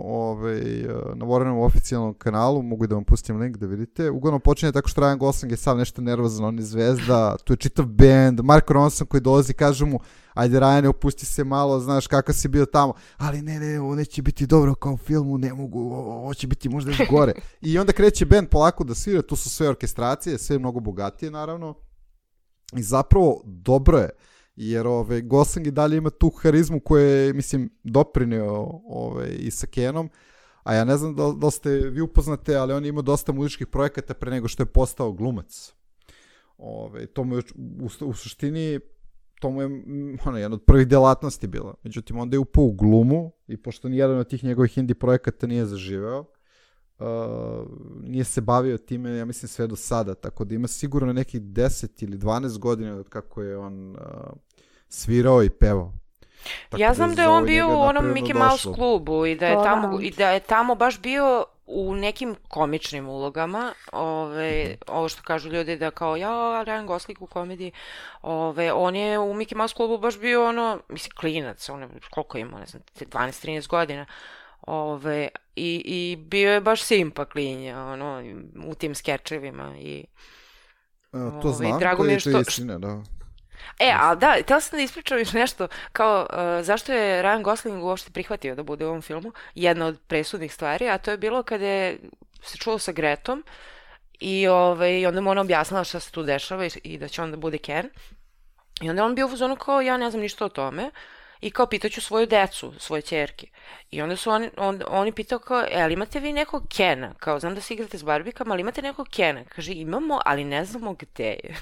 na Warnerovom oficijalnom kanalu, mogu da vam pustim link da vidite. Uglavnom počinje tako što Ryan Gosling je sav nešto nervozan, on je zvezda, tu je čitav band, Mark Ronson koji dolazi, kaže mu ajde Ryan, opusti se malo, znaš kako si bio tamo, ali ne, ovo neće biti dobro kao u filmu, ne mogu, ovo će biti možda još gore. I onda kreće band polako da svira, tu su sve orkestracije, sve mnogo bogatije naravno. I zapravo dobro je, jer Gosling i dalje ima tu harizmu koju je, mislim, doprineo i sa Kenom, a ja ne znam da ste vi upoznate, ali on ima dosta muzičkih projekata pre nego što je postao glumac. To mu je u suštini to mu je jedna od prvih delatnosti bila. Međutim, onda je upao u glumu i pošto nijedan od tih njegovih indie projekata nije zaživeo, nije se bavio time, ja mislim, sve do sada. Tako da ima sigurno nekih 10 ili 12 godina od kako je on svirao i pevao. Tako ja znam da je on bio u onom Mickey Mouse klubu i da je tamo baš bio u nekim komičnim ulogama, ovo što kažu ljudi da kao, Ryan Gosling u komediji, on je u Mickey Mouse klubu baš bio mislim, klinac, koliko ima, ne znam, 12-13 godina, i bio je baš simpa klinja, u tim skečevima i... To znam, to je istina, da. Ali da, htjela sam da ispričam još nešto, kao zašto je Ryan Gosling uopšte prihvatio da bude u ovom filmu, jedna od presudnih stvari, a to je bilo kada je se čuo sa Gretom i onda mu ona objasnila šta se tu dešava i da će on da bude Ken. I onda on bio u fazonu kao, ja ne znam ništa o tome, i kao pitaću svoju decu, svoje ćerke. I onda su oni pitao kao, ali imate vi nekog Kena? Kao, znam da se igrate s Barbikama, ali imate nekog Kena? Kaže, imamo, ali ne znamo gde je.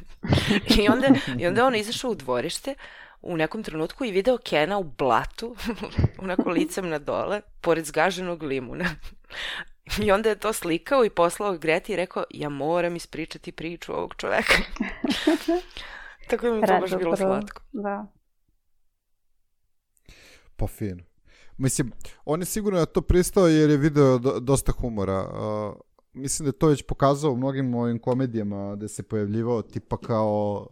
I onda on izašao u dvorište u nekom trenutku i video Kena u blatu, onako licem na dole, pored zgaženog limuna. I onda je to slikao i poslao Greti i rekao, ja moram ispričati priču ovog čoveka. Tako da mi to baš bilo slatko. Da. Pa fino. Mislim, on je sigurno na to pristao jer je video dosta humora. Mislim da je to već pokazao u mnogim ovim komedijama gde se pojavljivao tipa kao...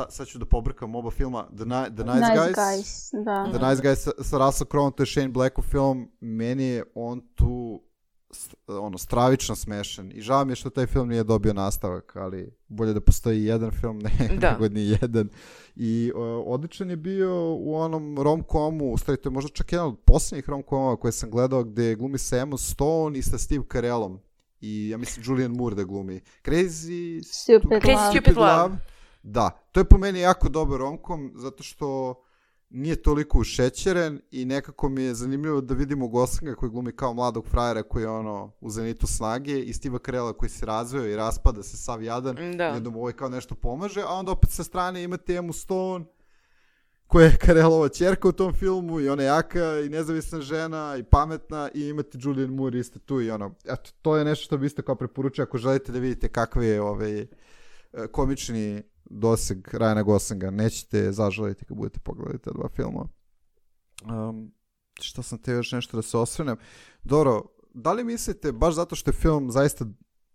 sad ću da pobrkam oba filma. The Nice Guys. Da. The Nice Guys sa Russell Crowe, to je Shane Blackov film. Meni je on tu stravično smešan. I žao mi je što taj film nije dobio nastavak, ali bolje da postoji jedan film nego ni jedan. I odličan je bio u onom rom-comu, u stvari to je možda čak jedan od posljednjih rom-comova koje sam gledao, gde glumi sa Emma Stone i sa Steve Carellom. I ja mislim Julian Moore da glumi. Crazy Stupid Love. Da, to je po meni jako dobar rom-com, zato što nije toliko ušećeren i nekako mi je zanimljivo da vidimo Goslinga koji glumi kao mladog frajera koji je u zenitu snage i Steva Carella koji se razvio i raspada se sav jadan i onda mu kao nešto pomaže, a onda opet sa strane imate Emmu Stone koja je Carellova ćerka u tom filmu i ona je jaka i nezavisna žena i pametna i imate Julian Moore isto tu i eto, to je nešto što bi isto kao preporučio ako želite da vidite kakve je komični doseg Ryana Goslinga. Nećete zažaliti kad budete pogledati ta dva filma. Što sam te još nešto da se osvrnem. Dobro, da li mislite, baš zato što je film zaista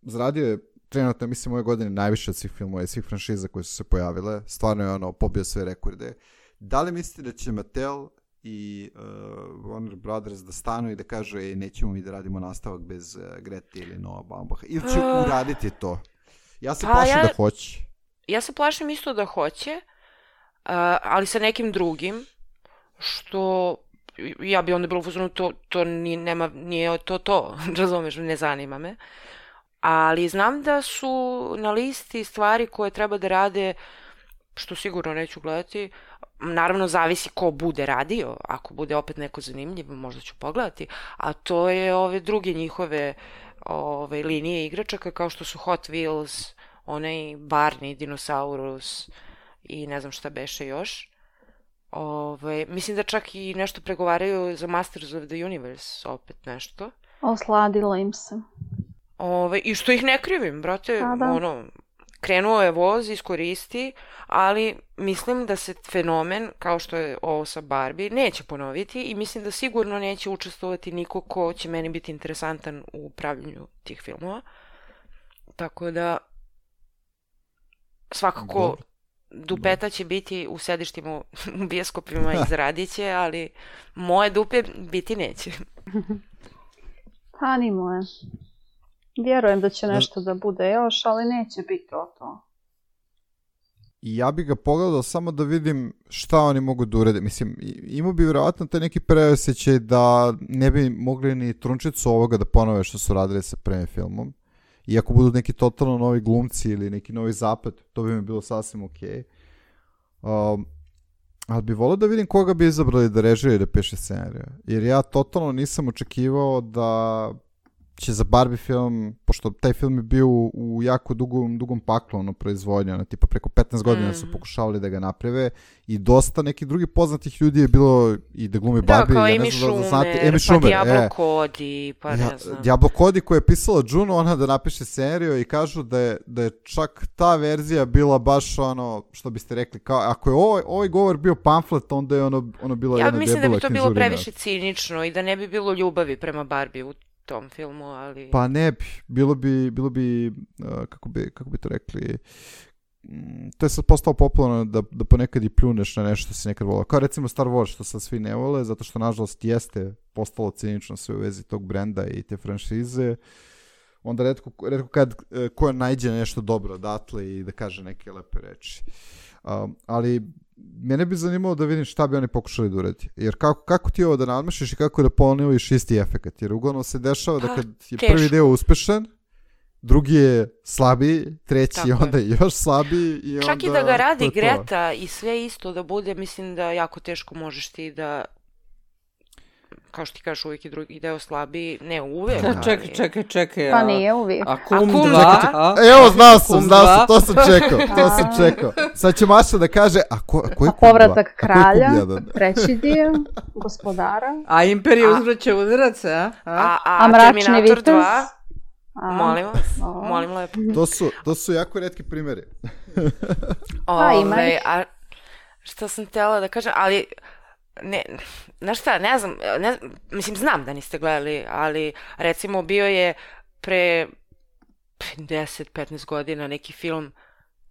zaradio trenutno, mislim, ove godine najviše od svih filmova i svih franšiza koje su se pojavile, stvarno je pobio sve rekorde. Da li mislite da će Mattel i Warner Brothers da stanu i da kažu nećemo mi da radimo nastavak bez Grete ili Noah Baumbach? Ili će uraditi to? Ja se plašim da hoće. Ja se plašim isto da hoće, ali sa nekim drugim, što ja bi onda bilo u fazonu, to nije to, razumeš, ne zanima me. Ali znam da su na listi stvari koje treba da rade, što sigurno neću gledati. Naravno, zavisi ko bude radio, ako bude opet neko zanimljivo, možda ću pogledati, a to je ove druge njihove linije igračaka, kao što su Hot Wheels, onaj Barney, Dinosaurus i ne znam šta beše još. Mislim da čak i nešto pregovaraju za Masters of the Universe, opet nešto. Osladilo im se. I što ih ne krivim, brate, krenuo je voz, iskoristi, ali mislim da se fenomen, kao što je ovo sa Barbie, neće ponoviti i mislim da sigurno neće učestvovati niko ko će meni biti interesantan u pravljenju tih filmova. Tako da svakako dupeta će biti u sedištima u bioskopima i zaradit će, ali moje dupe biti neće. Pa ni moje. Vjerujem da će nešto da bude još, ali neće biti to. I ja bih ga pogledao samo da vidim šta oni mogu da urede. Mislim, imao bi vjerovatno taj neki preosjećaj da ne bi mogli ni trunčicu ovoga da ponove što su radili sa prvim filmom. I ako budu neki totalno novi glumci ili neki novi zapad, to bi mi bilo sasvim okej. Ali bi volio da vidim koga bi izabrali da režira i da piše scenariju. Jer ja totalno nisam očekivao da će za Barbie film, pošto taj film je bio u jako dugom paklu proizvodnja, tipa preko 15 godina su pokušavali da ga naprave i dosta nekih drugih poznatih ljudi je bilo i da glumi Barbie. Da, kao Amy Schumer, pa Diablo Cody, pa ne znam. Diablo Cody koja je pisala Juno, ona da napiše scenariju i kažu da je čak ta verzija bila baš što biste rekli, kao ako je ovaj govor bio pamflet, onda je ono bilo jedna debela knjižurina. Ja mislim da bi to bilo previše cinično i da ne bi bilo ljubavi prema Barbie u tom filmu, ali... Pa ne bi, bilo bi kako bi to rekli, to je sad postalo popularno da ponekad i pljuneš na nešto što si nekad volao. Kao recimo Star Wars, što sad svi ne vole, zato što nažalost jeste postalo cinično sve u vezi tog brenda i te franšize. Onda retko kad ko najde nešto dobro odatle i da kaže neke lepe reči. Ali mene bi zanimalo da vidim šta bi oni pokušali da uradi. Jer kako ti ovo da nadmešiš i kako da ponoviš isti efekat. Jer uglavnom se dešava da kad je prvi deo uspešan, drugi je slabiji, treći je onda još slabiji. I čak onda i da ga radi Greta i sve isto da bude, mislim da jako teško možeš ti da, kao što ti kažeš, uvijek je drugi deo slabiji, ne uvijek. Čekaj. Pa nije uvijek. A Kum 2? Evo, znao sam, to sam čekao. Sad će Maša da kaže, a ko je Kum 2? Povratak kralja, treći dio, gospodara. A Imperija uzvraća udarac, a Mračni vitez? Molim vas, molim lepo. To su jako retki primjeri. A što sam htjela da kažem, ali znaš šta, ne znam, mislim, znam da niste gledali, ali recimo bio je pre 10-15 godina neki film,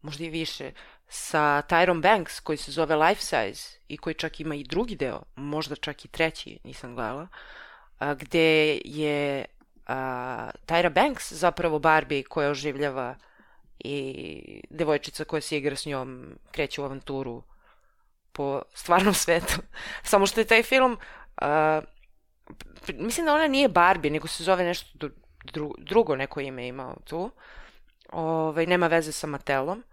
možda i više, sa Tyrom Banks koji se zove Life Size i koji čak ima i drugi deo, možda čak i treći, nisam gledala, gde je Tyra Banks zapravo Barbie koja oživljava i devojčica koja se igra s njom kreće u avanturu po stvarnom svetu. Samo što je taj film, mislim da ona nije Barbie, nego se zove nešto drugo, neko ime imao tu. Nema veze sa Mattelom.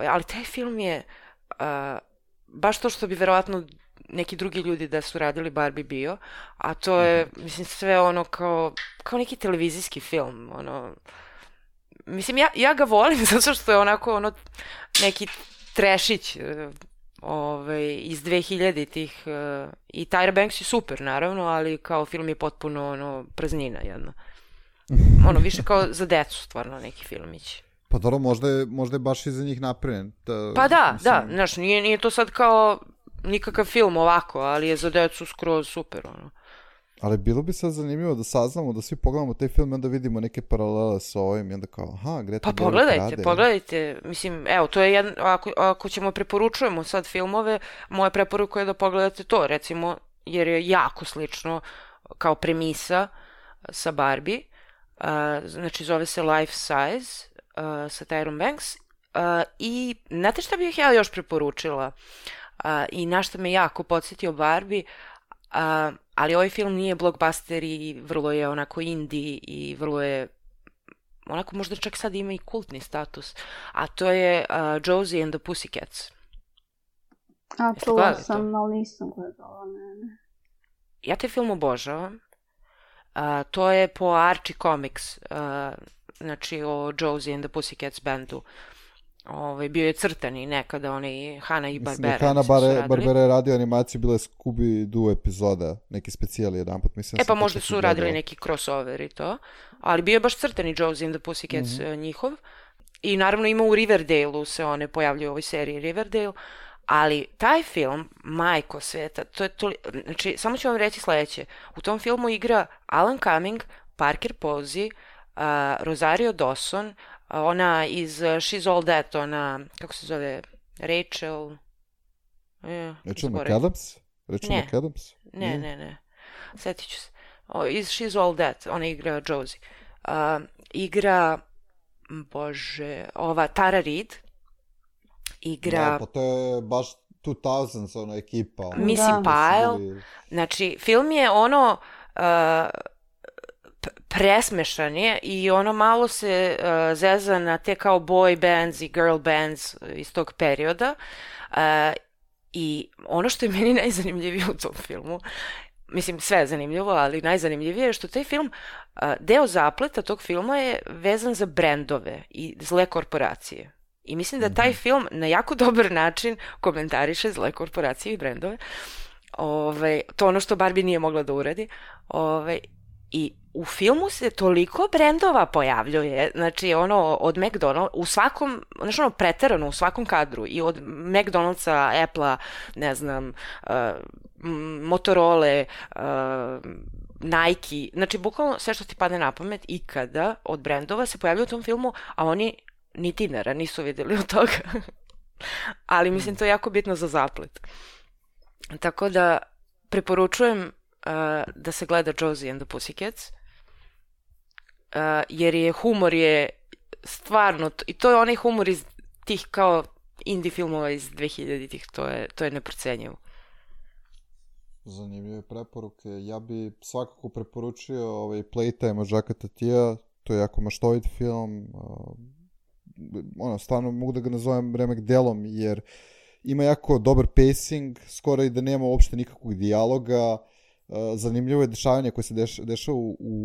Ali taj film je baš to što bi verovatno neki drugi ljudi da su radili Barbie bio, a to je, mislim, sve ono kao neki televizijski film, ono, mislim, ja ga volim zato što je onako neki trešić iz 2000-ih i Tyra Banks je super, naravno, ali kao film je potpuno praznina jedna. Više kao za decu, stvarno, neki filmić. Pa dobro, možda je baš i za njih napravljen. Pa da, znaš, nije to sad kao nikakav film ovako, ali je za decu skroz super, ono. Ali bilo bi sad zanimljivo da saznamo, da svi pogledamo taj film i onda vidimo neke paralele sa ovim i onda kao, Greta pa pogledajte, mislim, evo, to je ako ćemo preporučujemo sad filmove, moja preporuka je da pogledate to, recimo, jer je jako slično kao premisa sa Barbie, znači zove se Life Size sa Tyrom Banks i znate šta bih ja još preporučila i na što me jako podsjetio Barbie, ali ovaj film nije blockbuster i vrlo je onako indie i vrlo je onako možda čak sad ima i kultni status, a to je Josie and the Pussycats. Čula sam, ali nisam gledala, ne. Ja taj film obožavam. To je po Archie Comics, znači o Josie and the Pussycats bandu. Bio je crtani nekada, Hanna i Barbera. Hanna Barbera je radio animaciju, bila je Scooby-Doo epizoda, neki specijali jedan put, mislim. Pa možda su radili neki crossover i to, ali bio je baš crtani Josie and the Pussycats njihov. I naravno ima u Riverdale-u se one pojavljuju u ovoj seriji Riverdale, ali taj film, majko sveta, znači, samo ću vam reći sledeće, u tom filmu igra Alan Cumming, Parker Posey, Rosario Dawson, ona iz She's All That, ona, kako se zove, Rachel McAdams? Ne. Sjetit ću se. Iz She's All That, ona igra Josie. Igra, ova Tara Reid. Igra... Pa to je baš 2000s, ona ekipa. Missy Pyle. Znači, film je presmešan je i malo se zeza na te kao boy bands i girl bands iz tog perioda i ono što je meni najzanimljivije u tom filmu, mislim sve je zanimljivo, ali najzanimljivije je što taj film, deo zapleta tog filma je vezan za brendove i zle korporacije. I mislim da taj film na jako dobar način komentariše zle korporacije i brendove. To ono što Barbie nije mogla da uradi. I u filmu se toliko brendova pojavljuje, znači od McDonald's, u svakom, znači preterano u svakom kadru, i od McDonald'sa, Apple-a, ne znam, Motorola, Nike, znači bukvalno sve što ti padne na pamet ikada od brendova se pojavljaju u tom filmu, a oni ni dinara nisu vidjeli od toga. Ali mislim to je jako bitno za zaplet. Tako da preporučujem da se gleda Josie and the Pussycats, jer je humor je stvarno, i to je onaj humor iz tih kao indie filmova iz 2000-ih, to je neprocenjivo. Zanimljive preporuke. Ja bi svakako preporučio Playtime od Jacquesa Tatija, to je jako maštovit film, stvarno mogu da ga nazovem remek delom, jer ima jako dobar pacing, skoro i da nema uopšte nikakvog dijaloga, zanimljivo je dešavanje koje se dešava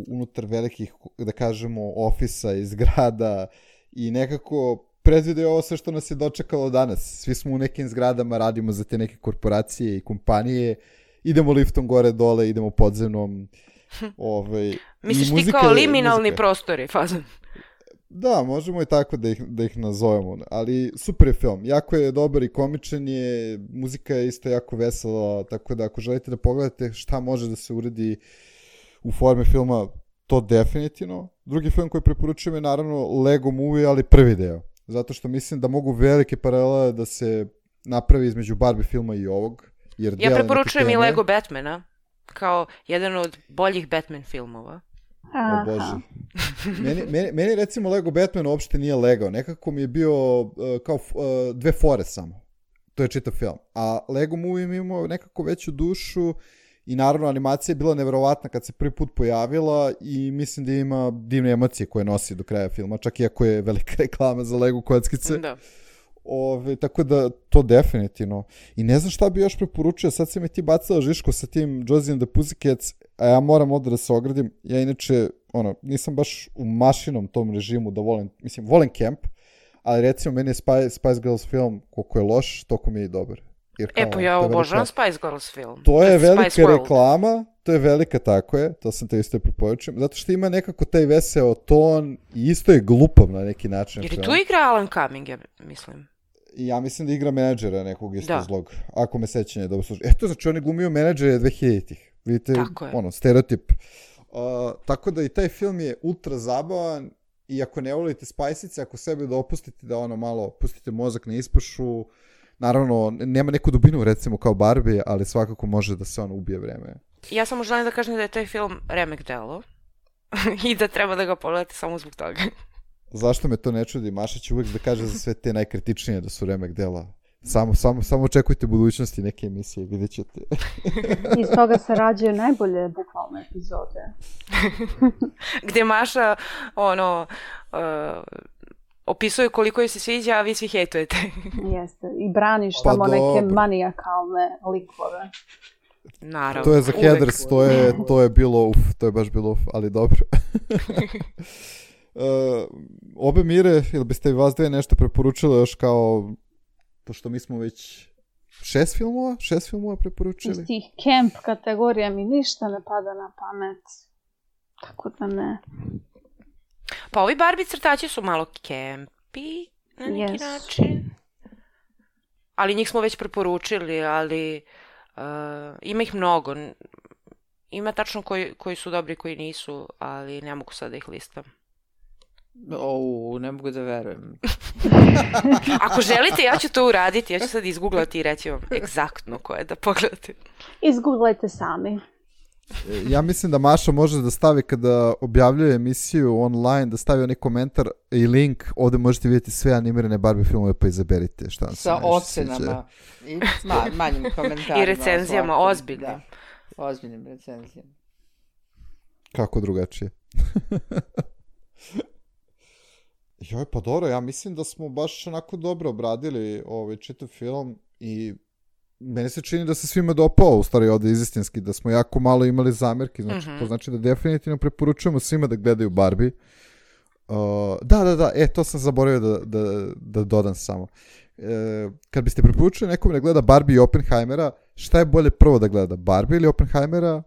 unutar velikih, da kažemo, ofisa i zgrada i nekako predvide ovo sve što nas je dočekalo danas. Svi smo u nekim zgradama, radimo za te neke korporacije i kompanije, idemo liftom gore dole, idemo podzemnom. Misliš ti kao liminalni prostori, fazon? Da, možemo i tako da ih nazovemo, ali super je film, jako je dobar i komičan je, muzika je isto jako vesela, tako da ako želite da pogledate šta može da se uredi u forme filma, to definitivno. Drugi film koji preporučujem je naravno Lego Movie, ali prvi deo, zato što mislim da mogu velike paralele da se napravi između Barbie filma i ovog. Jer ja preporučujem i Lego Batmana kao jedan od boljih Batman filmova. O Bože. Meni recimo Lego Batman uopšte nije legao. Nekako mi je bio kao dve fore samo. To je čitav film. A Lego Movie mi imao nekako veću dušu i naravno animacija je bila neverovatna kad se prvi put pojavila i mislim da ima divne emocije koje nosi do kraja filma, čak iako je velika reklama za Lego kockice. Da. Tako da to definitivno. I ne znam šta bi još preporučio, sad si me ti bacila Žiško sa tim Josie and the Pussycats, a ja moram ovdje da se ogradim. Ja inače, nisam baš u mašinom tom režimu da volim camp, ali recimo meni je Spice Girls film koliko je loš, toliko mi je i dobar. Pa ja obožavam Spice Girls film. To je velika reklama, to je velika, tako je, to sam te isto preporučujem, zato što ima nekako taj veseo ton i isto je glupav na neki način. Jer tu igra Alan Cumming, ja mislim. I ja mislim da igra menadžera nekog isto zlog, ako me sećanje dobro služi. To znači on je glumio menadžere 2000-ih. Vidite, stereotip. Tako da i taj film je ultra zabavan i ako ne volite spajsice, ako sebe da opustite, da malo pustite mozak na ispašu, naravno, nema neku dubinu recimo kao Barbie, ali svakako može da se ubije vreme. Ja samo želim da kažem da je taj film remek delo i da treba da ga pogledate samo zbog toga. Zašto me to ne čudi? Maša će uvijek da kaže za sve te najkritičnije da su remek dela. Samo očekujte budućnosti neke emisije, vidjet ćete. Iz toga se rađaju najbolje bukvalne epizode. Gde Maša, opisuje koliko joj se sviđa, a vi svi hejtujete. Jeste, i braniš tamo neke manijakalne likove. Naravno. To je za Heathers, to je bilo to je baš bilo ali dobro. Obe Mire, ili biste vas dve nešto preporučili još kao, pošto mi smo već 6 filmova preporučili? Iz tih camp kategorija mi ništa ne pada na pamet, tako da ne. Pa ovi Barbie crtači su malo campi na neki način. Ali njih smo već preporučili, ali ima ih mnogo. Ima tačno koji su dobri, koji nisu, ali ne mogu sad da ih listam. Ne mogu da verujem. Ako želite, ja ću to uraditi. Ja ću sad izgooglati i reći vam egzaktno koje da pogledate. Izgooglajte sami. Ja mislim da Maša može da stavi kada objavljuje emisiju online, da stavi onaj komentar i link, ovdje možete vidjeti sve animirane Barbie filmove, pa izaberite šta vam se sa ocenama i manjim komentarima. I recenzijama, ozbiljnim. Da, ozbiljnim recenzijama. Kako drugačije? Joj, pa dobro, ja mislim da smo baš onako dobro obradili čitav film i meni se čini da se svima dopao, u stvari ovdje izistinski, da smo jako malo imali zamjerki, znači to znači da definitivno preporučujemo svima da gledaju Barbie. Da, to sam zaboravio da dodam samo. Kad biste preporučili nekom da gleda Barbie i Oppenheimera, šta je bolje prvo da gleda, Barbie ili Oppenheimera?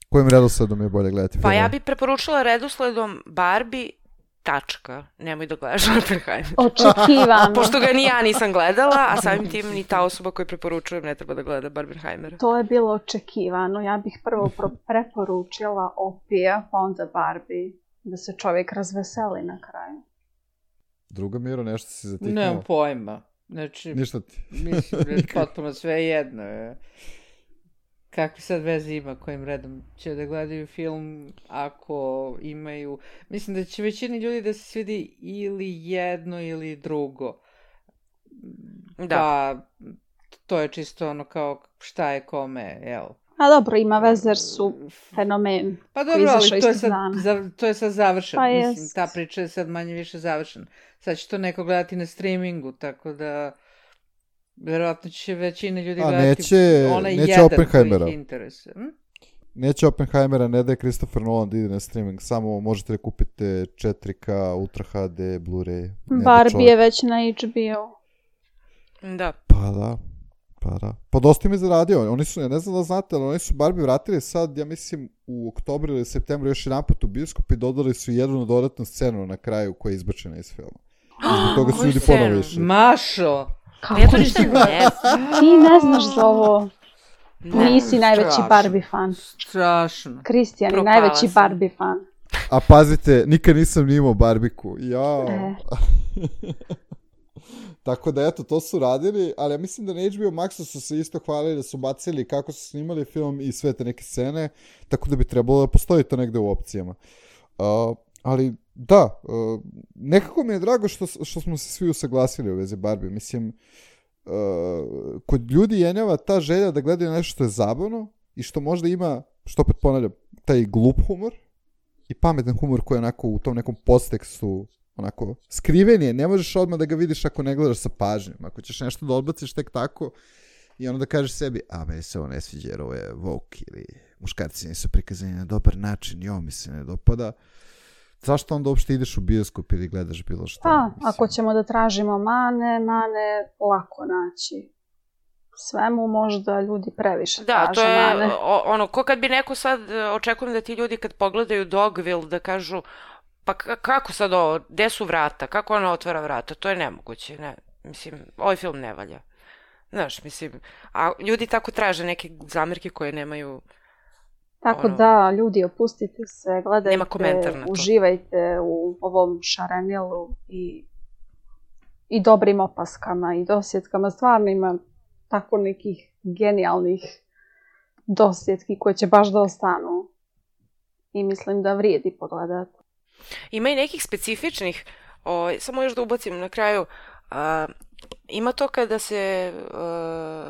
Kojim redosledom je bolje gledati film? Pa ja bih preporučila redosledom Barbie, tačka. Nemoj da gledaš Oppenheimer. Očekivano. Pošto ga ni ja nisam gledala, a samim tim ni ta osoba koju preporučujem ne treba da gleda Barbenheimera. To je bilo očekivano. Ja bih prvo preporučila Opija, pa onda Barbie, da se čovjek razveseli na kraju. Druga Miro, nešto si zatiknula? Nemam pojma. Znači, ništa ti. Mislim da je potpuno sve jedno. Kakvi sad veze ima kojim redom će da gledaju film ako imaju... Mislim da će većini ljudi da se svidi ili jedno ili drugo. Da. Pa to je čisto ono kao šta je kome, jel? A dobro, ima veze jer su fenomen. Pa dobro, ali to je sad završeno. Pa mislim, ta priča je sad manje više završena. Sad će to neko gledati na streamingu, tako da verovatno će većina ljudi gledati onaj jedan koji ih interesuje. Neće Oppenheimera, ne da je Christopher Nolan da ide na streaming, samo možete da kupite 4K, Ultra HD, Blu-ray. Barbie je već na HBO. Da. Pa da. Pa dosta im je zaradio. Oni su, ja ne znam da znate, ali oni su Barbie vratili sad, ja mislim, u oktobru ili septembru još jedan put u bioskop i dodali su jednu dodatnu scenu na kraju koja je izbačena iz filma. I zbog toga su ljudi ponovo išli. Mašo! Kako ja to ništa ne znam. Ti ne znaš za ovo. Nisi najveći Barbie fan. Strašno. Kristijan je najveći Barbie fan. A pazite, nikad nisam ni imao Barbiku. Jao. Tako da eto, to su radili, ali ja mislim da na HBO Maxu su se isto hvalili da su bacili kako su snimali film i sve te neke scene, tako da bi trebalo da postoji to negde u opcijama. Ali da, nekako mi je drago što smo se svi usaglasili u vezi Barbie. Mislim, kod ljudi jenjava ta želja da gledaju nešto što je zabavno i što možda ima, što opet ponavljam, taj glup humor i pametan humor koji je onako u tom nekom podtekstu onako skriven je, ne možeš odmah da ga vidiš ako ne gledaš sa pažnjom. Ako ćeš nešto da odbaciš tek tako i onda da kažeš sebi, a meni se ovo ne sviđa jer ovo je woke ili muškarci nisu prikazani na dobar način i ovo mi se ne dopada. Zašto onda uopšte ideš u bioskop ili gledaš bilo što? Pa, ako ćemo da tražimo mane lako naći. Svemu možda ljudi previše traže to je mane. Ono, ko kad bi neko sad, očekujem da ti ljudi kad pogledaju Dogville da kažu, pa kako sad ovo, gde su vrata, kako ona otvara vrata, to je nemoguće, ne, mislim, ovaj film ne valja. Znaš, mislim, a ljudi tako traže neke zamerke koje nemaju... Tako da, ljudi, opustite se, gledajte, na uživajte u ovom šarenilu i dobrim opaskama i dosjetkama. Stvarno ima tako nekih genijalnih dosjetki koje će baš da ostanu i mislim da vrijedi pogledati. Ima i nekih specifičnih, samo još da ubacim na kraju, ima to kada se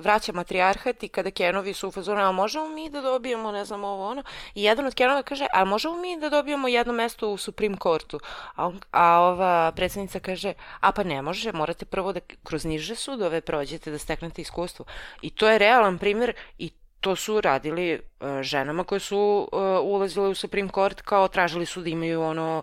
vraća matrijarhat i kada Kenovi su u fazonu, a možemo mi da dobijemo, ne znam, ovo ono, i jedan od Kenova kaže, a možemo mi da dobijemo jedno mesto u Supreme Courtu, a ova predsjednica kaže, a pa ne može, morate prvo da kroz niže sudove prođete da steknete iskustvo. I to je realan primjer i to su radili ženama koje su ulazile u Supreme Court, kao tražili su da imaju ono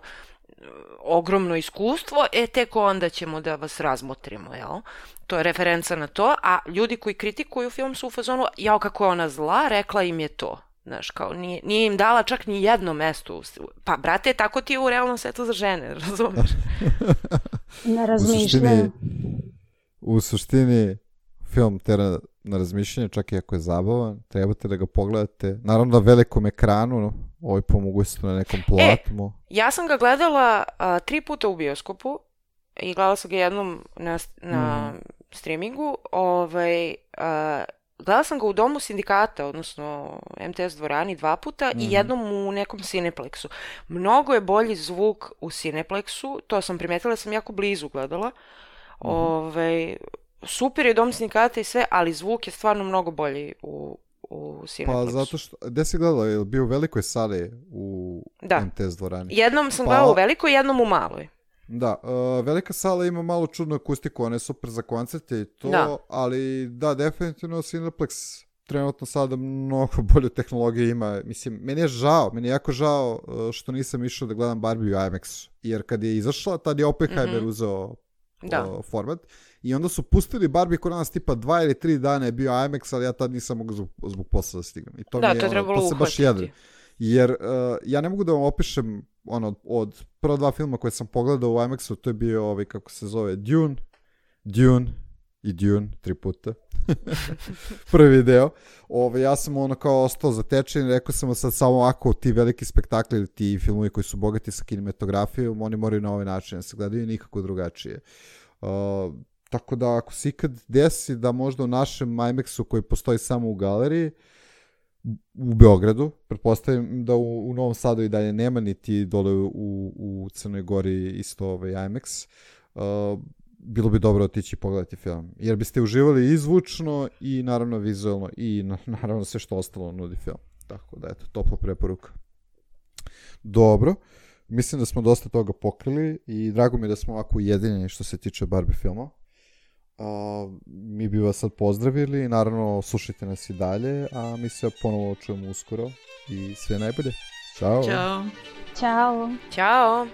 ogromno iskustvo, tek onda ćemo da vas razmotrimo, jel? To je referenca na to, a ljudi koji kritikuju film su u fazonu, jao kako je ona zla, rekla im je to. Znaš, kao nije im dala čak ni jedno mesto. Pa, brate, tako ti je u realnom svetu za žene, razumeš? Ne razmišljam. U suštini, film tera na razmišljanje, čak i ako je zabavan, trebate da ga pogledate. Naravno na velikom ekranu, ovo je po mogućstvu na nekom platmu. Ja sam ga gledala 3 puta u bioskopu i gledala sam ga jednom na streamingu. Gledala sam ga u Domu sindikata, odnosno MTS dvorani 2 puta i jednom u nekom Cineplexu. Mnogo je bolji zvuk u Cineplexu, to sam primetila, sam jako blizu gledala. Super je Dom sindikata i sve, ali zvuk je stvarno mnogo bolji u Cineplexu. Pa zato što, gde si gledala? Je li bio u velikoj sali u MTS dvorani? Jednom sam gledala u velikoj, jednom u maloj. Da, velika sala ima malo čudnu akustiku, ona je super za koncerte i to, ali da, definitivno Cineplex trenutno sada mnogo bolju tehnologiju ima. Mislim, meni je jako žao što nisam išao da gledam Barbie u IMAX-u, jer kad je izašla, tad je Oppenheimer uzeo format. I onda su pustili Barbie kod nas tipa 2 ili 3 dana je bio IMAX, ali ja tad nisam mogao zbog posla da stignem. I to mi je, to je trebalo to se baš jer ja ne mogu da vam opišem od prva 2 filma koje sam pogledao u IMAX-u, to je bio kako se zove Dune i Dune 3 puta. Prvi deo. Ja sam kao ostao zatečen i rekao sam sad samo ovako ti veliki spektakli ili ti filmovi koji su bogati sa kinematografijom, oni moraju na ovaj način da se gledaju nikako drugačije. Tako da ako se ikad desi da možda u našem IMAX-u koji postoji samo u galeriji u Beogradu, pretpostavljam da u Novom Sadu i dalje nema, niti dole u Crnoj Gori isto IMAX, bilo bi dobro otići i pogledati film. Jer biste uživali i zvučno i naravno vizualno i naravno sve što ostalo nudi film. Tako da eto, topla preporuka. Dobro, mislim da smo dosta toga pokrili i drago mi je da smo ovako ujedinjeni što se tiče Barbie filma. Mi bi vas sad pozdravili, naravno slušajte nas i dalje, a mi se ponovo čujemo uskoro i sve najbolje. Ćao. Ćao. Ćao. Ćao.